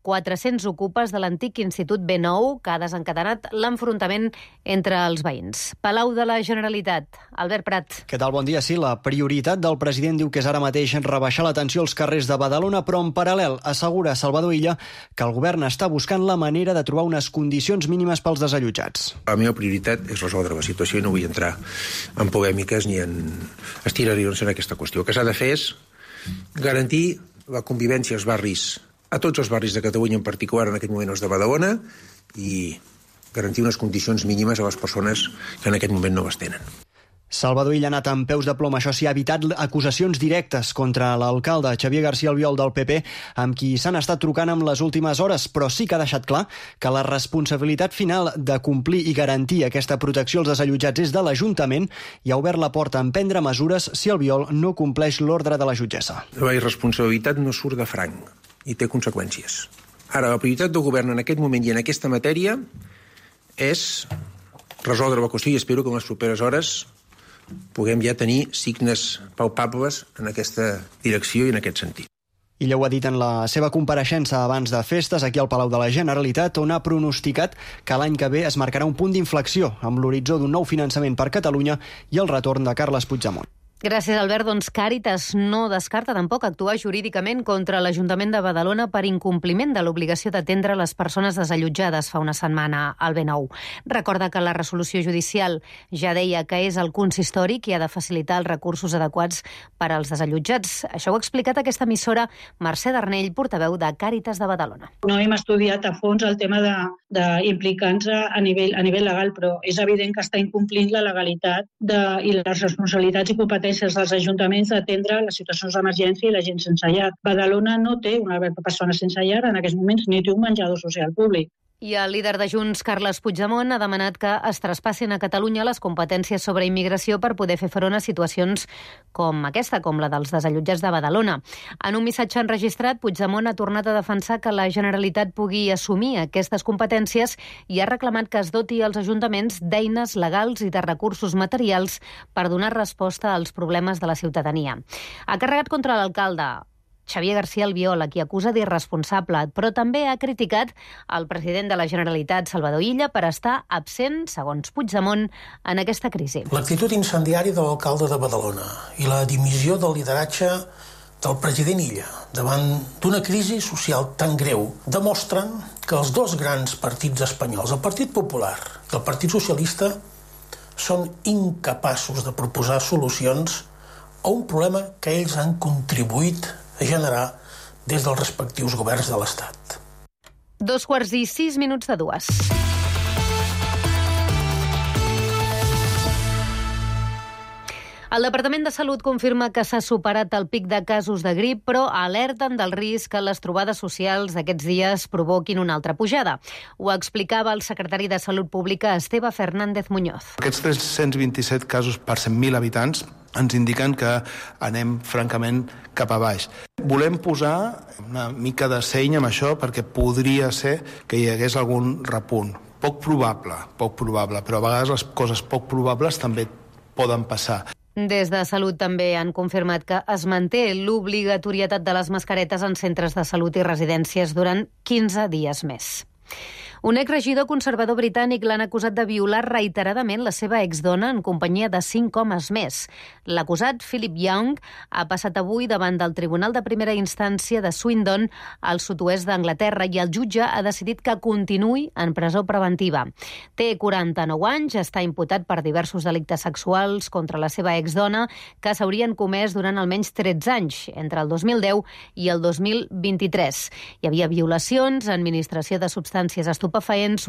quatre-cents ocupes de l'antic Institut B nou, que ha desencadenat l'enfrontament entre els veïns. Palau de la Generalitat, Albert Prat. Què tal? Bon dia. Sí, la prioritat del president diu que és ara mateix rebaixar la tensió als carrers de Badalona, però en paral·lel assegura Salvador Illa que el govern està buscant la manera de trobar unes condicions mínimes pels desallotjats. La meva prioritat és resoldre la situació i no vull entrar en polèmiques ni en estirarions en aquesta qüestió. El que s'ha de fer és garantir la convivència als barris, a tots els barris de Catalunya, en particular en aquest moment els de Badalona, i garantir unes condicions mínimes a les persones que en aquest moment no les tenen. Salvador Illa ha anat amb peus de plom. Això sí, ha evitat acusacions directes contra l'alcalde Xavier García Albiol del P P, amb qui s'han estat trucant en les últimes hores, però sí que ha deixat clar que la responsabilitat final de complir i garantir aquesta protecció als desallotjats és de l'Ajuntament i ha obert la porta a emprendre mesures si Albiol no compleix l'ordre de la jutgessa. La irresponsabilitat no surt de franc i té conseqüències. Ara, la prioritat del govern en aquest moment i en aquesta matèria és resoldre la qüestió i espero que en les properes hores puguem ja tenir signes palpables en aquesta direcció i en aquest sentit. Illa ho ha dit en la seva compareixença abans de festes aquí al Palau de la Generalitat, on ha pronosticat que l'any que ve es marcarà un punt d'inflexió amb l'horitzó d'un nou finançament per Catalunya i el retorn de Carles Puigdemont. Gràcies, Albert. Doncs Càritas no descarta tampoc actuar jurídicament contra l'Ajuntament de Badalona per incompliment de l'obligació d'atendre les persones desallotjades fa una setmana al B nou. Recorda que la resolució judicial ja deia que és el consistori qui ha de facilitar els recursos adequats per als desallotjats. Això ho ha explicat aquesta emissora Mercè Darnell, portaveu de Càritas de Badalona. No hem estudiat a fons el tema d'implicar-nos a nivell, a nivell legal, però és evident que està incomplint la legalitat de, i les responsabilitats i competències dels ajuntaments d'atendre les situacions d'emergència i la gent sense llar. Badalona no té una persona sense llar en aquests moments ni té un menjador social públic. I el líder de Junts, Carles Puigdemont, ha demanat que es traspassin a Catalunya les competències sobre immigració per poder fer front a situacions com aquesta, com la dels desallotjats de Badalona. En un missatge enregistrat, Puigdemont ha tornat a defensar que la Generalitat pugui assumir aquestes competències i ha reclamat que es doti als ajuntaments d'eines legals i de recursos materials per donar resposta als problemes de la ciutadania. Ha carregat contra l'alcalde Xavier García Albiol, a qui acusa d'irresponsable, però també ha criticat el president de la Generalitat, Salvador Illa, per estar absent, segons Puigdemont, en aquesta crisi. L'actitud incendiària de l'alcalde de Badalona i la dimissió del lideratge del president Illa davant d'una crisi social tan greu demostren que els dos grans partits espanyols, el Partit Popular i el Partit Socialista, són incapaços de proposar solucions a un problema que ells han contribuït a generar des dels respectius governs de l'Estat. Dos quarts i sis minuts de dues. El Departament de Salut confirma que s'ha superat el pic de casos de grip, però alerten del risc que les trobades socials d'aquests dies provoquin una altra pujada. Ho explicava el secretari de Salut Pública, Esteve Fernández Muñoz. Aquests tres-cents vint-i-set casos per cent mil habitants ens indiquen que anem francament cap a baix. Volem posar una mica de seny amb això perquè podria ser que hi hagués algun repunt. Poc probable, poc probable, però a vegades les coses poc probables també poden passar. Des de Salut també han confirmat que es manté l'obligatorietat de les mascaretes en centres de salut i residències durant quinze dies més. Un exregidor conservador britànic l'han acusat de violar reiteradament la seva exdona en companyia de cinc homes més. L'acusat, Philip Young, ha passat avui davant del Tribunal de Primera Instància de Swindon, al sud-oest d'Anglaterra, i el jutge ha decidit que continuï en presó preventiva. Té quaranta-nou anys, està imputat per diversos delictes sexuals contra la seva exdona que s'haurien comès durant almenys tretze anys, entre el dos mil deu i el dos mil vint-i-tres. Hi havia violacions, administració de substàncies estupefaents,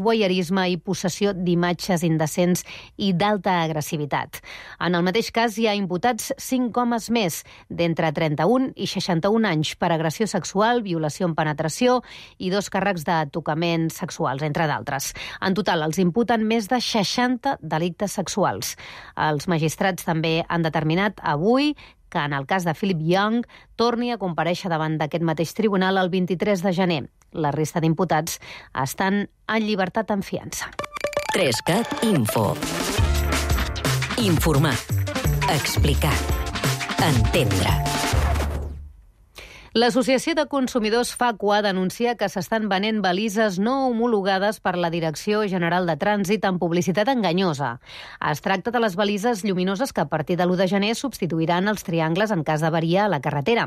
voyeurisme i possessió d'imatges indecents i d'alta agressivitat. En el mateix cas hi ha imputats cinc homes més, d'entre trenta-un i seixanta-un anys, per agressió sexual, violació amb penetració i dos càrrecs de tocament sexuals, entre d'altres. En total, els imputen més de seixanta delictes sexuals. Els magistrats també han determinat avui que en el cas de Philip Young torni a comparèixer davant d'aquest mateix tribunal el vint-i-tres de gener. La resta d'imputats estan en llibertat en fiança. Trescat Info. Informar. Explicar. Entendre. L'Associació de Consumidors Facua denuncia que s'estan venent balises no homologades per la Direcció General de Trànsit amb publicitat enganyosa. Es tracta de les balises lluminoses que a partir de l'u de gener substituiran els triangles en cas d'avaria a la carretera.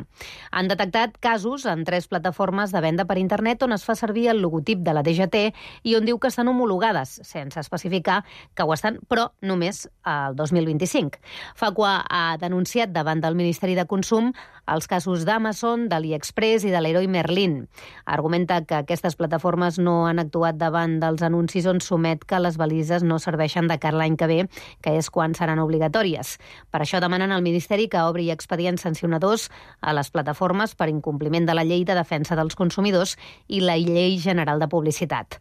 Han detectat casos en tres plataformes de venda per internet on es fa servir el logotip de la D G T i on diu que estan homologades, sense especificar que ho estan, però només el dos mil vint-i-cinc. Facua ha denunciat davant del Ministeri de Consum els casos d'Amazon, de AliExpress i de l'Heroi Merlin. Argumenta que aquestes plataformes no han actuat davant dels anuncis on s'omet que les balises no serveixen de cara l'any que ve, que és quan seran obligatòries. Per això demanen al Ministeri que obri expedients sancionadors a les plataformes per incompliment de la Llei de Defensa dels Consumidors i la Llei General de Publicitat.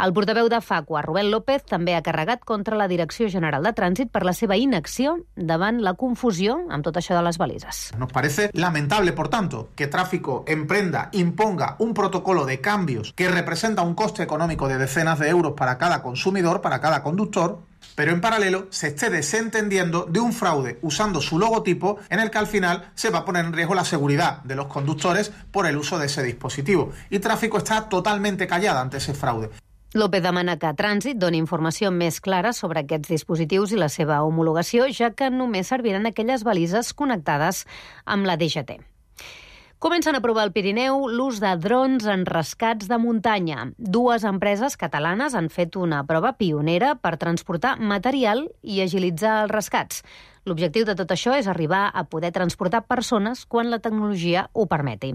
El portaveu de Facua, Rubén López, també ha carregat contra la Direcció General de Trànsit per la seva inacció davant la confusió amb tot això de les balises. Nos parece lamentable, por tanto, que Tráfico emprenda, imponga un protocolo de cambios que representa un coste económico de decenas de euros para cada consumidor, para cada conductor, pero en paralelo se esté desentendiendo de un fraude usando su logotipo en el que al final se va a poner en riesgo la seguridad de los conductores por el uso de ese dispositivo. Y Tráfico está totalmente callada ante ese fraude. López demana que Trànsit doni informació més clara sobre aquests dispositius i la seva homologació, ja que només serviran aquelles balises connectades amb la D G T. Comencen a provar al Pirineu l'ús de drons en rescats de muntanya. Dues empreses catalanes han fet una prova pionera per transportar material i agilitzar els rescats. L'objectiu de tot això és arribar a poder transportar persones quan la tecnologia ho permeti.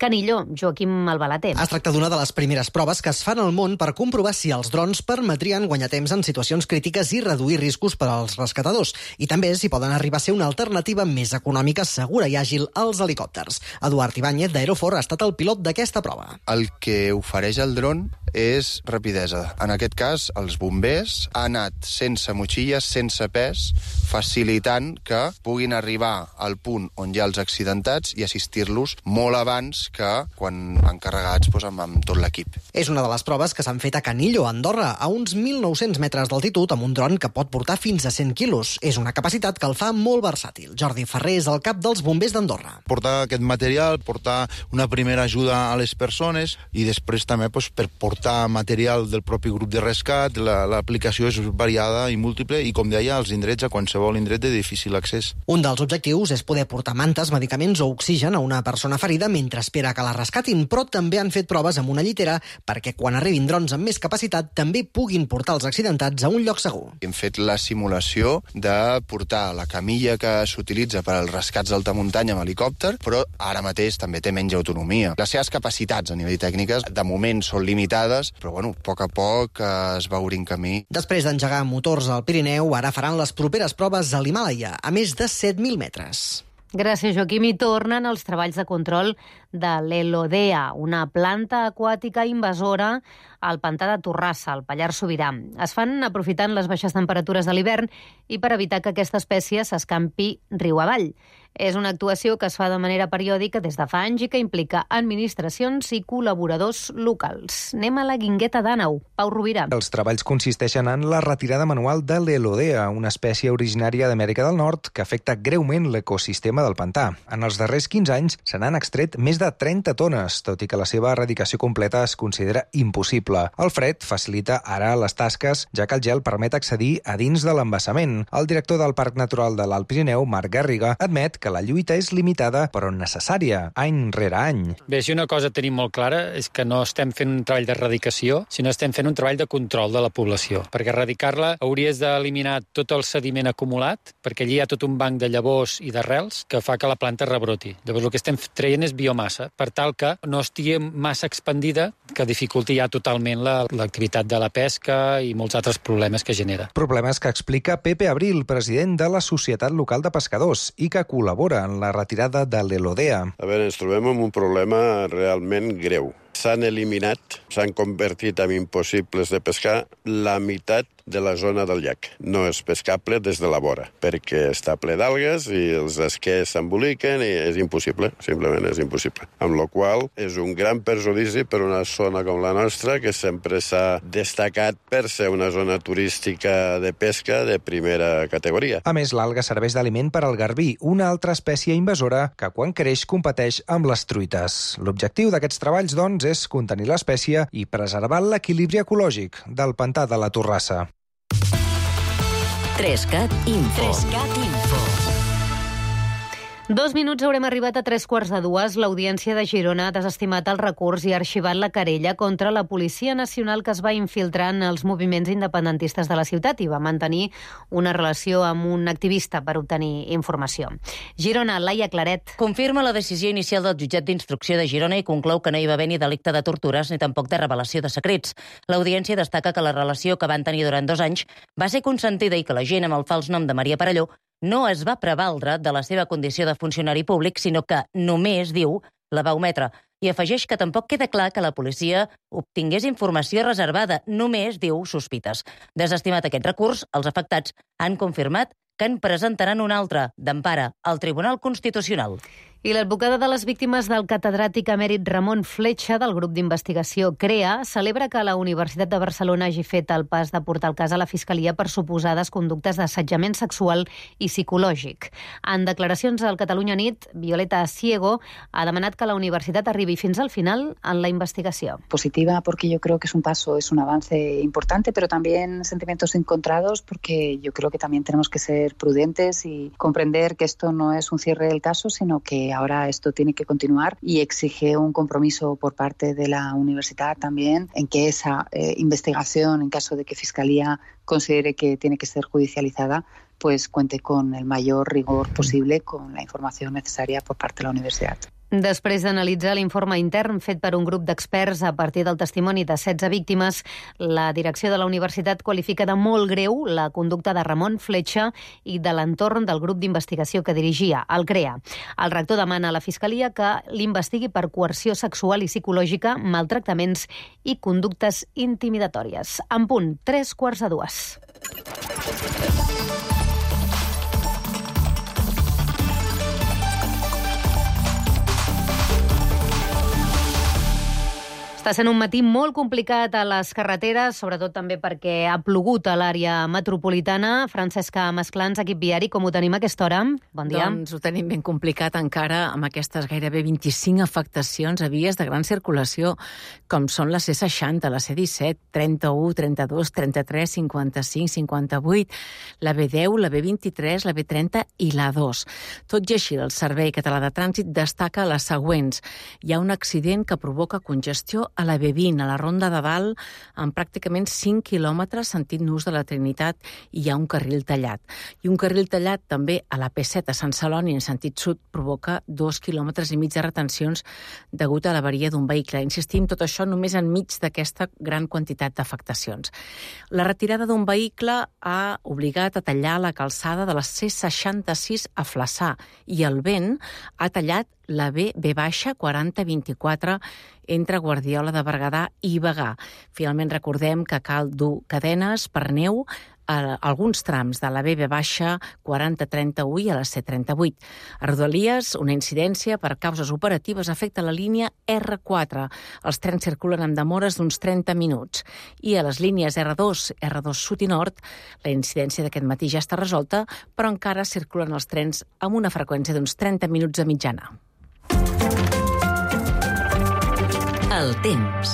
Canillo, Joaquim Albalater. Es tracta d'una de les primeres proves que es fan al món per comprovar si els drons permetrien guanyar temps en situacions crítiques i reduir riscos per als rescatadors. I també si poden arribar a ser una alternativa més econòmica, segura i àgil als helicòpters. Eduard Ibáñez, d'Aerofor, ha estat el pilot d'aquesta prova. El que ofereix el dron és rapidesa. En aquest cas, els bombers han anat sense motxilles, sense pes, facilitant que puguin arribar al punt on hi ha els accidentats i assistir-los molt abans que quan van carregats doncs, amb, amb tot l'equip. És una de les proves que s'han fet a Canillo, a Andorra, a uns mil nou-cents metres d'altitud, amb un dron que pot portar fins a cent quilos. És una capacitat que el fa molt versàtil. Jordi Ferrer és el cap dels bombers d'Andorra. Portar aquest material, portar una primera ajuda a les persones i després també doncs, per portar material del propi grup de rescat. L'aplicació és variada i múltiple i, com deia, als indrets, a qualsevol indret de difícil accés. Un dels objectius és poder portar mantes, medicaments o oxigen a una persona ferida mentre espera que la rescatin, però també han fet proves amb una llitera perquè quan arribin drons amb més capacitat també puguin portar els accidentats a un lloc segur. Hem fet la simulació de portar la camilla que s'utilitza per als rescats d'alta muntanya amb helicòpter, però ara mateix també té menys autonomia. Les seves capacitats a nivell tècniques de moment són limitades, però bueno, a poc a poc es va obrint camí. Després d'engegar motors al Pirineu, ara faran les properes proves a l'Himàlaia, a més de set mil metres. Gràcies, Joaquim. I tornen els treballs de control de l'Elodea, una planta aquàtica invasora al pantà de Torrassa, al Pallars Sobirà. Es fan aprofitant les baixes temperatures de l'hivern i per evitar que aquesta espècie s'escampi riu avall. És una actuació que es fa de manera periòdica des de fa anys i que implica administracions i col·laboradors locals. Anem a la Guingueta d'Àneu. Pau Rovira. Els treballs consisteixen en la retirada manual de l'Elodea, una espècie originària d'Amèrica del Nord que afecta greument l'ecosistema del pantà. En els darrers quinze anys se n'han extret més de trenta tones, tot i que la seva erradicació completa es considera impossible. El fred facilita ara les tasques, ja que el gel permet accedir a dins de l'embassament. El director del Parc Natural de l'Alt Pirineu, Marc Garriga, admet que la lluita és limitada però necessària, any rere any. Bé, si una cosa tenim molt clara és que no estem fent un treball d'erradicació, sinó estem fent un treball de control de la població. Perquè erradicar-la hauries d'eliminar tot el sediment acumulat, perquè allí hi ha tot un banc de llavors i d'arrels que fa que la planta rebroti. Llavors el que estem traient és biomassa, per tal que no estigui massa expandida, que dificulti ja totalment l'activitat de la pesca i molts altres problemes que genera. Problemes que explica Pepe Abril, president de la Societat Local de Pescadors, i que col·labora en la retirada de l'Elodea. A veure, ens trobem amb un problema realment greu. S'han eliminat, s'han convertit en impossibles de pescar la meitat de la zona del llac. No és pescable des de la vora, perquè està ple d'algues i els esquers s'emboliquen i és impossible, simplement és impossible. Amb la qual és un gran perjudici per una zona com la nostra, que sempre s'ha destacat per ser una zona turística de pesca de primera categoria. A més, l'alga serveix d'aliment per al garbí, una altra espècie invasora que quan creix competeix amb les truites. L'objectiu d'aquests treballs, doncs, és contenir l'espècie i preservar l'equilibri ecològic del pantà de la Torrassa. Trescat Info. Trescat Info. Dos minuts haurem arribat a tres quarts de dues. L'Audiència de Girona ha desestimat el recurs i ha arxivat la querella contra la Policia Nacional que es va infiltrar en els moviments independentistes de la ciutat i va mantenir una relació amb un activista per obtenir informació. Girona, Laia Claret. Confirma la decisió inicial del jutjat d'instrucció de Girona i conclou que no hi va haver ni delicte de tortures ni tampoc de revelació de secrets. L'Audiència destaca que la relació que van tenir durant dos anys va ser consentida i que la gent amb el fals nom de Maria Perelló no es va prevaldre de la seva condició de funcionari públic, sinó que només, diu, la va ometre. I afegeix que tampoc queda clar que la policia obtingués informació reservada, només, diu, sospites. Desestimat aquest recurs, els afectats han confirmat que en presentaran un altre, d'empara, al Tribunal Constitucional. I l'advocada de les víctimes del catedràtic emèrit Ramon Fletxa del grup d'investigació CREA celebra que la Universitat de Barcelona hagi fet el pas de portar el cas a la Fiscalia per suposades conductes d'assetjament sexual i psicològic. En declaracions al Catalunya Nit, Violeta Ciego ha demanat que la universitat arribi fins al final en la investigació. Positiva porque yo creo que es un paso, es un avance importante, pero también sentimientos encontrados porque yo creo que también tenemos que ser prudentes y comprender que esto no es un cierre del caso, sino que ahora esto tiene que continuar y exige un compromiso por parte de la universidad también en que esa eh, investigación, en caso de que Fiscalía considere que tiene que ser judicializada, pues cuente con el mayor rigor posible, con la información necesaria por parte de la universidad. Després d'analitzar l'informe intern fet per un grup d'experts a partir del testimoni de setze víctimes, la direcció de la universitat qualifica de molt greu la conducta de Ramon Fletxa i de l'entorn del grup d'investigació que dirigia, el CREA. El rector demana a la Fiscalia que l'investigui per coerció sexual i psicològica, maltractaments i conductes intimidatòries. En punt, tres quarts de dues. Està sent un matí molt complicat a les carreteres, sobretot també perquè ha plogut a l'àrea metropolitana. Francesca Masclans, equip viari, com ho tenim a aquesta hora? Bon dia. Doncs ho tenim ben complicat encara amb aquestes gairebé vint-i-cinc afectacions a vies de gran circulació, com són la C seixanta, la C disset, trenta-u, trenta-dos, trenta-tres, cinquanta-cinc, cinquanta-vuit, la B deu, la B vint-i-tres, la B trenta i la dos. Tot i així, el Servei Català de Trànsit destaca les següents. Hi ha un accident que provoca congestió a la B vint, a la Ronda de Dalt, amb pràcticament cinc quilòmetres sentit Nus de la Trinitat, i hi ha un carril tallat. I un carril tallat també a la P set a Sant Celoni, en sentit sud, provoca dos quilòmetres i mig de retencions degut a l'avaria d'un vehicle. Insistim, tot això només enmig d'aquesta gran quantitat d'afectacions. La retirada d'un vehicle ha obligat a tallar la calçada de la C seixanta-sis a Flaçà, i el vent ha tallat la B B baixa quaranta vint-i-quatre entre Guardiola de Berguedà i Bagà. Finalment recordem que cal dur cadenes per neu a alguns trams de la B B baixa quaranta trenta-u i a la C trenta-vuit. A Rodalies, una incidència per causes operatives afecta la línia R quatre. Els trens circulen amb demores d'uns trenta minuts. I a les línies R dos, R dos sud i nord, la incidència d'aquest matí ja està resolta, però encara circulen els trens amb una freqüència d'uns trenta minuts de mitjana. El temps.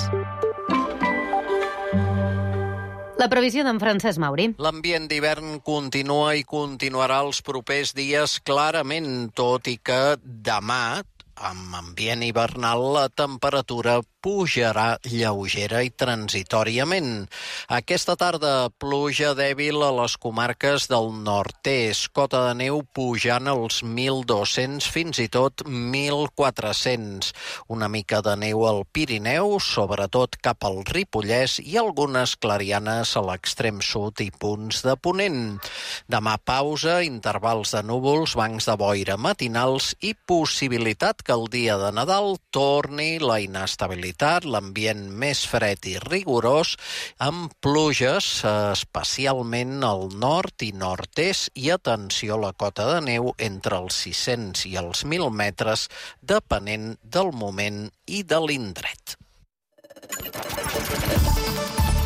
La previsió d'en Francesc Mauri. L'ambient d'hivern continua i continuarà els propers dies clarament, tot i que demà, amb ambient hivernal, la temperatura pujarà lleugera i transitòriament. Aquesta tarda, pluja dèbil a les comarques del nord-est, cota de neu pujant als mil dos-cents fins i tot mil quatre-cents. Una mica de neu al Pirineu, sobretot cap al Ripollès, i algunes clarianes a l'extrem sud i punts de ponent. Demà pausa, intervals de núvols, bancs de boira matinals i possibilitat que el dia de Nadal torni la inestabilitat, l'ambient més fred i rigorós, amb pluges especialment al nord i nord-est, i atenció a la cota de neu entre els sis-cents i els mil metres, depenent del moment i de l'indret.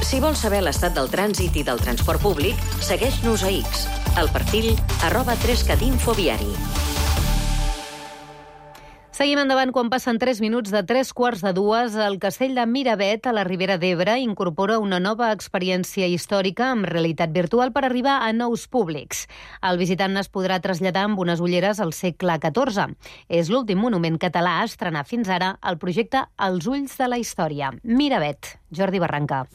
Si vols saber l'estat del trànsit i del transport públic, segueix-nos a X, al perfil arroba trescat infoviari. Seguim endavant quan passen tres minuts de tres quarts de dues. El castell de Miravet, a la Ribera d'Ebre, incorpora una nova experiència històrica amb realitat virtual per arribar a nous públics. El visitant es podrà traslladar amb unes ulleres al segle catorze. És l'últim monument català a estrenar fins ara el projecte Els ulls de la història. Miravet, Jordi Barranca.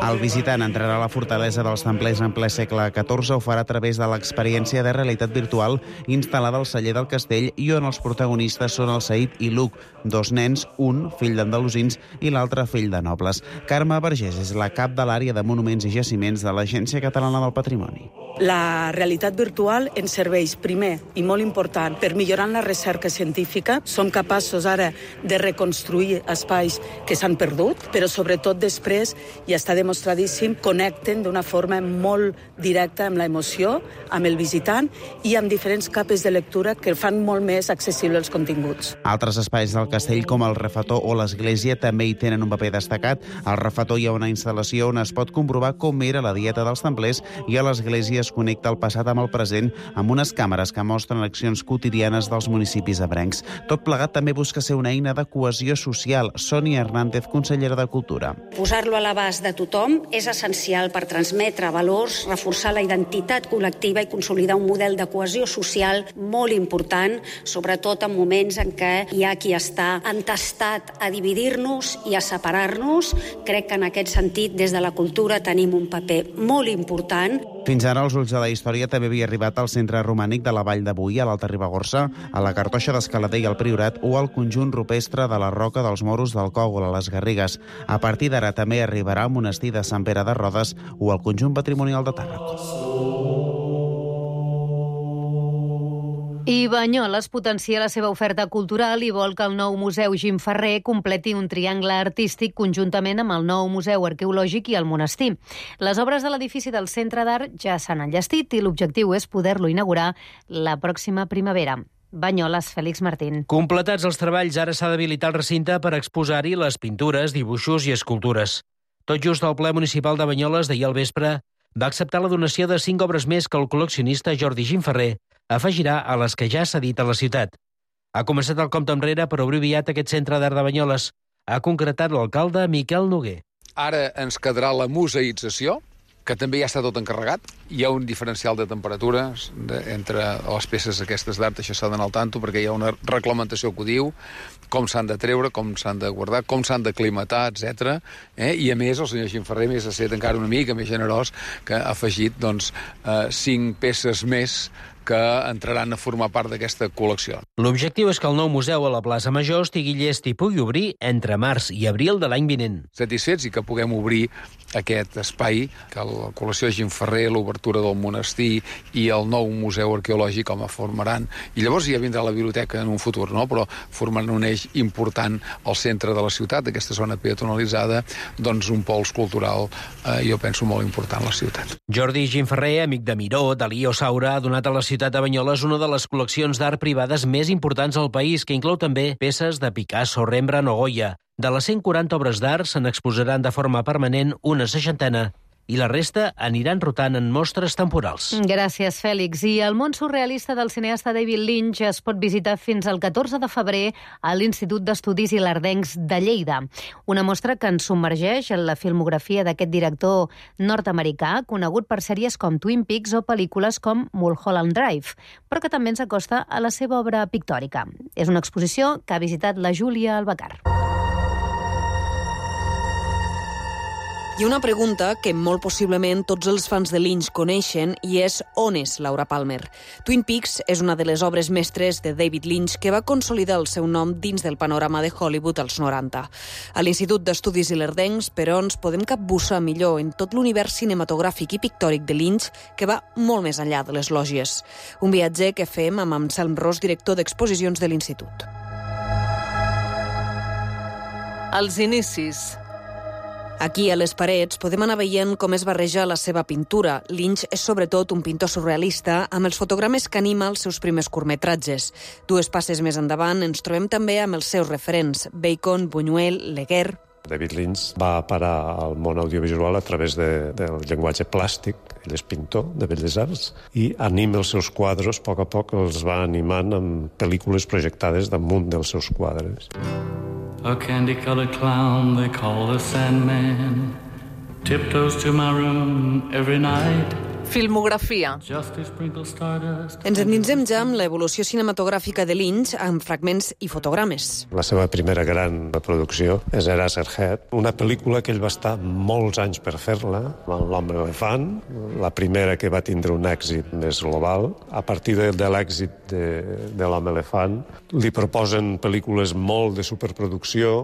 El visitant entrarà a la fortalesa dels templers en ple segle catorze. Ho farà a través de l'experiència de realitat virtual instal·lada al celler del castell, i on els protagonistes són el Saïd i l'Uc, dos nens, un fill d'andalusins i l'altre fill de nobles. Carme Vergés és la cap de l'àrea de monuments i jaciments de l'Agència Catalana del Patrimoni. La realitat virtual ens serveix, primer i molt important, per millorar la recerca científica. Som capaços ara de reconstruir espais que s'han perdut, però sobretot després després, i està demostradíssim, connecten d'una forma molt directa amb l'emoció, amb el visitant i amb diferents capes de lectura que fan molt més accessibles els continguts. Altres espais del castell, com el refetor o l'església, també hi tenen un paper destacat. Al refetor hi ha una instal·lació on es pot comprovar com era la dieta dels templers i a l'església es connecta el passat amb el present amb unes càmeres que mostren accions quotidianes dels municipis ebrencs. Tot plegat també busca ser una eina de cohesió social. Sònia Hernández, consellera de Cultura. Posar-lo a l'abast de tothom és essencial per transmetre valors, reforçar la identitat col·lectiva i consolidar un model de cohesió social molt important, sobretot en moments en què hi ha qui està entestat a dividir-nos i a separar-nos. Crec que en aquest sentit, des de la cultura, tenim un paper molt important. Fins ara, els ulls de la història també havia arribat al centre romànic de la Vall de Boí, a l'Alta Ribagorça, a la Cartoixa d'Escalader i al Priorat o al conjunt rupestre de la Roca dels Moros del Cògol, a les Garrigues. A partir d'ara també arribarà al monestir de Sant Pere de Rodes o al conjunt patrimonial de Tàrrega. I Banyoles potencia la seva oferta cultural i vol que el nou Museu Gim Ferrer completi un triangle artístic conjuntament amb el nou Museu Arqueològic i el monestir. Les obres de l'edifici del Centre d'Art ja s'han enllestit i l'objectiu és poder-lo inaugurar la pròxima primavera. Banyoles, Fèlix Martín. Completats els treballs, ara s'ha d'habilitar el recinte per exposar-hi les pintures, dibuixos i escultures. Tot just el ple municipal de Banyoles d'ahir al vespre va acceptar la donació de cinc obres més que el col·leccionista Jordi Gim Ferrer afegirà a les que ja s'ha dit a la ciutat. Ha començat el compte enrere per obrir aviat aquest centre d'art de Banyoles. Ha concretat l'alcalde Miquel Noguer. Ara ens quedarà la museïtzació, que també ja està tot encarregat. Hi ha un diferencial de temperatures de, entre les peces aquestes d'art, això s'ha d'anar al tanto, perquè hi ha una reglamentació que ho diu, com s'han de treure, com s'han de guardar, com s'han d'aclimatar, etcètera. Eh? I a més, el senyor Gim Ferrer més ha estat encara una mica més generós, que ha afegit doncs, eh, cinc peces més que entraran a formar part d'aquesta col·lecció. L'objectiu és que el nou museu a la plaça Major estigui llest i pugui obrir entre març i abril de l'any vinent. Satisfets i que puguem obrir aquest espai, que la col·lecció Gim Ferrer, l'obertura del monestir i el nou museu arqueològic com a formaran. I llavors ja vindrà la biblioteca en un futur, no? Però formaran un eix important al centre de la ciutat, aquesta zona peatonalitzada, doncs un pols cultural, eh, jo penso, molt important a la ciutat. Jordi Gim Ferrer, amic de Miró, Dalí o Saura, ha donat a la ciutat de Banyoles una de les col·leccions d'art privades més importants al país, que inclou també peces de Picasso, Rembrandt o Goya. De les cent quaranta obres d'art se n'exposaran de forma permanent una seixantena i la resta aniran rotant en mostres temporals. Gràcies, Fèlix. I el món surrealista del cineasta David Lynch es pot visitar fins al catorze de febrer a l'Institut d'Estudis Ilerdencs de Lleida. Una mostra que ens submergeix en la filmografia d'aquest director nord-americà, conegut per sèries com Twin Peaks o pel·lícules com Mulholland Drive, però que també ens acosta a la seva obra pictòrica. És una exposició que ha visitat la Júlia Albacar. Hi ha una pregunta que molt possiblement tots els fans de Lynch coneixen i és on és Laura Palmer. Twin Peaks és una de les obres mestres de David Lynch que va consolidar el seu nom dins del panorama de Hollywood als noranta. A l'Institut d'Estudis Ilerdencs, però, ens podem capbussar millor en tot l'univers cinematogràfic i pictòric de Lynch que va molt més enllà de les lògies. Un viatge que fem amb Anselm Ros, director d'exposicions de l'Institut. Els inicis. Aquí, a les parets, podem anar veient com es barreja la seva pintura. Lynch és sobretot un pintor surrealista amb els fotogrames que anima els seus primers curtmetratges. Dues passes més endavant ens trobem també amb els seus referents, Bacon, Buñuel, Leguer. David Lynch va parar al món audiovisual a través de, del llenguatge plàstic. Ell és pintor de Belles Arts i anima els seus quadres, a poc a poc els va animant amb pel·lícules projectades damunt dels seus quadres. A candy-colored clown they call the Sandman tiptoes to my room every night. Filmografia. Ens endinsem ja amb l'evolució cinematogràfica de Lynch amb fragments i fotogrames. La seva primera gran producció és Eraserhead, una pel·lícula que ell va estar molts anys per fer-la, amb l'Home Elefant, la primera que va tindre un èxit més global. A partir de, de l'èxit de, de l'Home Elefant, li proposen pel·lícules molt de superproducció,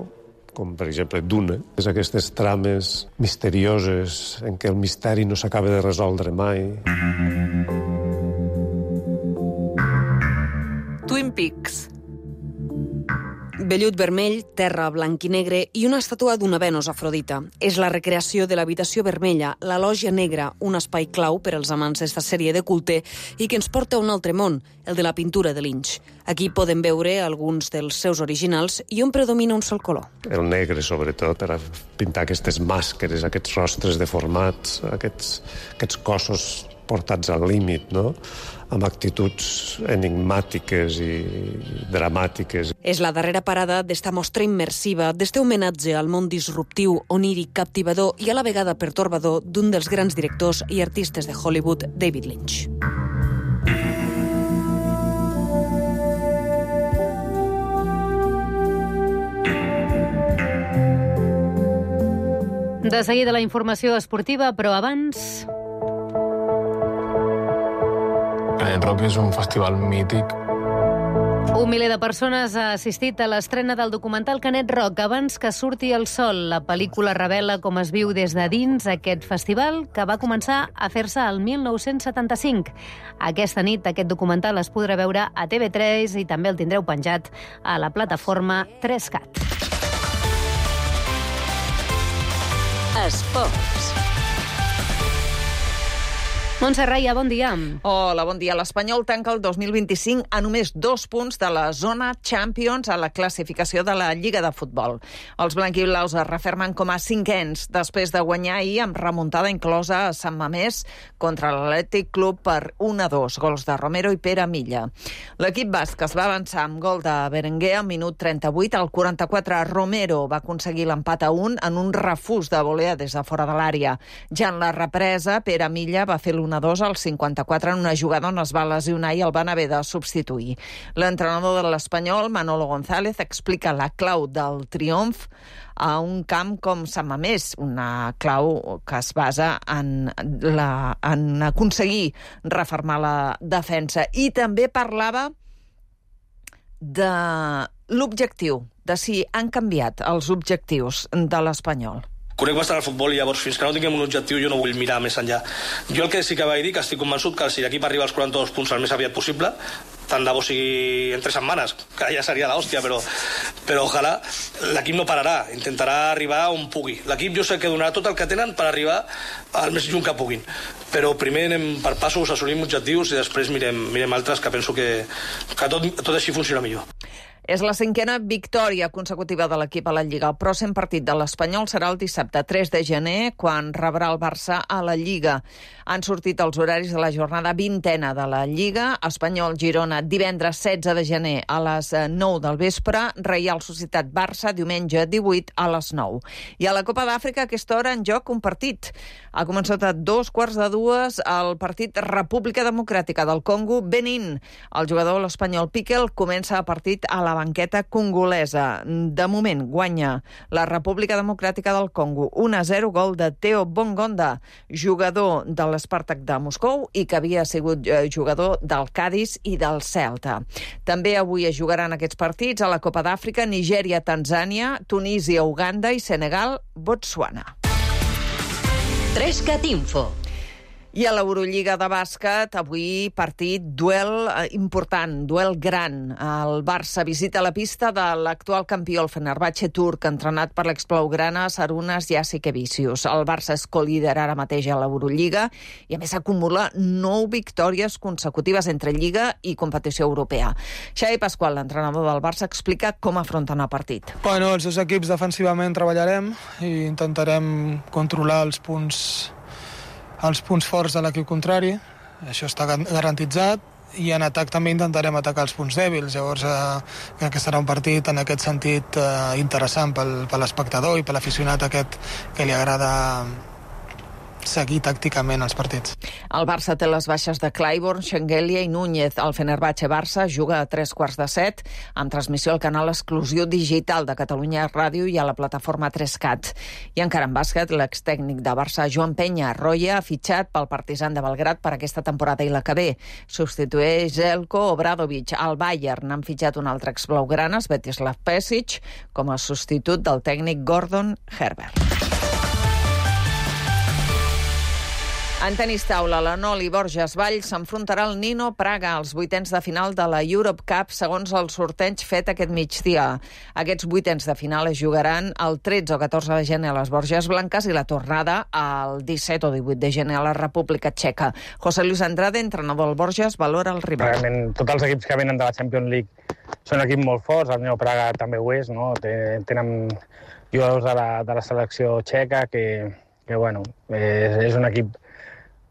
com per exemple Duna, és aquestes trames misterioses en què el misteri no s'acaba de resoldre mai. Twin Peaks. Vellut vermell, terra blanc i negre i una estàtua d'una Venus Afrodita. És la recreació de l'habitació vermella, la lògia negra, un espai clau per als amants d'esta sèrie de culte i que ens porta a un altre món, el de la pintura de Lynch. Aquí podem veure alguns dels seus originals i on predomina un sol color. El negre, sobretot, per a pintar aquestes màscares, aquests rostres deformats, aquests, aquests cossos portats al límit, no?, amb actituds enigmàtiques i dramàtiques. És la darrera parada d'esta mostra immersiva, d'este homenatge al món disruptiu, oníric, captivador i a la vegada pertorbador d'un dels grans directors i artistes de Hollywood, David Lynch. De seguida la informació esportiva, però abans... Canet Rock és un festival mític. Un miler de persones ha assistit a l'estrena del documental Canet Rock abans que surti el sol. La pel·lícula revela com es viu des de dins aquest festival que va començar a fer-se el mil nou-cents setanta-cinc. Aquesta nit aquest documental es podrà veure a T V tres i també el tindreu penjat a la plataforma tres cat. Esports. Montse Raia, bon dia. Hola, bon dia. L'Espanyol tanca el dos mil vint-i-cinc a només dos punts de la zona Champions a la classificació de la Lliga de Futbol. Els blanquiblaus es refermen com a cinquens després de guanyar ahir amb remuntada inclosa a Sant Mamés contra l'Atlètic Club per un a dos, gols de Romero i Pere Milla. L'equip basc es va avançar amb gol de Berenguer al minut trenta-vuit. Al quaranta-quatre, Romero va aconseguir l'empat a un en un refús de volea des de fora de l'àrea. Ja en la represa, Pere Milla va fer l'un a dos al cinquanta-quatre en una jugada on es va lesionar i el van haver de substituir. L'entrenador de l'Espanyol, Manolo González, explica la clau del triomf a un camp com Sant Mamés, una clau que es basa en, la, en aconseguir refermar la defensa. I també parlava de l'objectiu, de si han canviat els objectius de l'Espanyol. Conec bastant el futbol i llavors fins que no tinguem un objectiu jo no vull mirar més enllà. Jo el que sí que vaig dir que estic convençut que si l'equip arriba als quaranta-dos punts el més aviat possible, tant de bo sigui en tres setmanes, que ja seria l'hòstia, però, però ojalà l'equip no pararà, intentarà arribar on pugui. L'equip jo sé que donarà tot el que tenen per arribar al més lluny que puguin, però primer anem per passos, assolim objectius i després mirem, mirem altres que penso que, que tot, tot així funciona millor. És la cinquena victòria consecutiva de l'equip a la Lliga. El pròxim partit de l'Espanyol serà el dissabte tres de gener, quan rebrà el Barça a la Lliga. Han sortit els horaris de la jornada vintena de la Lliga. Espanyol-Girona divendres setze de gener a les nou del vespre. Reial Societat-Barça diumenge divuit a les nou. I a la Copa d'Àfrica a aquesta hora en joc un partit. Ha començat a dos quarts de dues el partit República Democràtica del Congo-Benín. El jugador l'espanyol Piquel comença a partit a la banqueta congolesa. De moment guanya la República Democràtica del Congo un a zero, gol de Theo Bongonda, jugador de l'Spartak de Moscou i que havia sigut jugador del Cádiz i del Celta. També avui es jugaran aquests partits a la Copa d'Àfrica: Nigèria, Tanzània, Tunísia, Uganda i Senegal, Botswana. tres cat Info. I a l'Eurolliga de bàsquet, avui partit, duel important, duel gran. El Barça visita la pista de l'actual campió, el Fenerbahçe turc, entrenat per l'exblaugrana Sarunas Jasikevičius. El Barça és co-líder ara mateix a l'Eurolliga i a més acumula nou victòries consecutives entre Lliga i competició europea. Xavi Pasqual, l'entrenador del Barça, explica com afronten el partit. Bueno, els dos equips defensivament treballarem i intentarem controlar els punts els punts forts de l'equip contrari, això està garantitzat, i en atac també intentarem atacar els punts dèbils. Llavors eh, crec que serà un partit en aquest sentit eh, interessant pel, per l'espectador i per l'aficionat aquest que li agrada seguir tàcticament els partits. El Barça té les baixes de Clyburn, Shengelia i Núñez. El Fenerbahçe-Barça juga a tres quarts de set, amb transmissió al canal exclusiu digital de Catalunya Ràdio i a la plataforma tres cat. I encara en bàsquet, l'extècnic de Barça, Joan Peña Roya, ha fitxat pel Partizan de Belgrat per aquesta temporada i la que ve. Substitueix Željko Obradović. Al Bayern han fitxat un altre exblaugrana, Svetislav Pesic, com a substitut del tècnic Gordon Herbert. En tenis taula, la Noli Borges Vall s'enfrontarà al Nino Praga als vuitens de final de la Europe Cup segons el sorteig fet aquest migdia. Aquests vuitens de final es jugaran el tretze o catorze de gener a les Borges Blanques i la tornada el disset o divuit de gener a la República Txeca. José Luis Andrade, entrenador del Borges, valora el rival. Realment, tots els equips que venen de la Champions League són equips molt forts, el Nino Praga també ho és, no? Tenen jugadors de la, de la selecció txeca que, que bueno, és, és un equip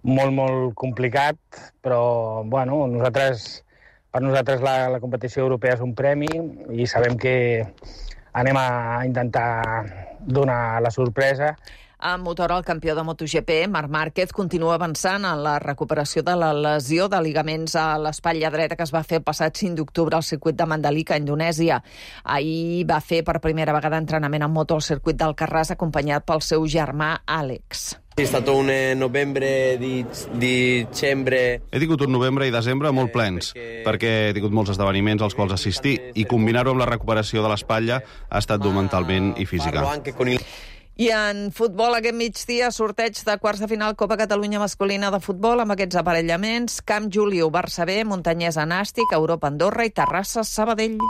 molt, molt complicat, però bueno, nosaltres, per nosaltres la, la competició europea és un premi i sabem que anem a intentar donar la sorpresa. A Motor, el campió de MotoGP, Marc Márquez, continua avançant en la recuperació de la lesió de ligaments a l'espatlla dreta que es va fer el passat cinc d'octubre al circuit de Mandalika, a Indonèsia. Ahir va fer per primera vegada entrenament en moto al circuit d'Alcarràs, acompanyat pel seu germà Àlex. È stato un novembre di dicembre. He tingut un novembre i desembre molt plens, perquè he tingut molts esdeveniments als quals assistir i combinar-ho amb la recuperació de l'espatlla ha estat dur mentalment i física. I en futbol, aquest migdia, sorteig de quarts de final Copa Catalunya masculina de futbol amb aquests aparellaments: Camp Juliu, Barça B, Montanyesa Nàstic, Europa Andorra i Terrassa Sabadell.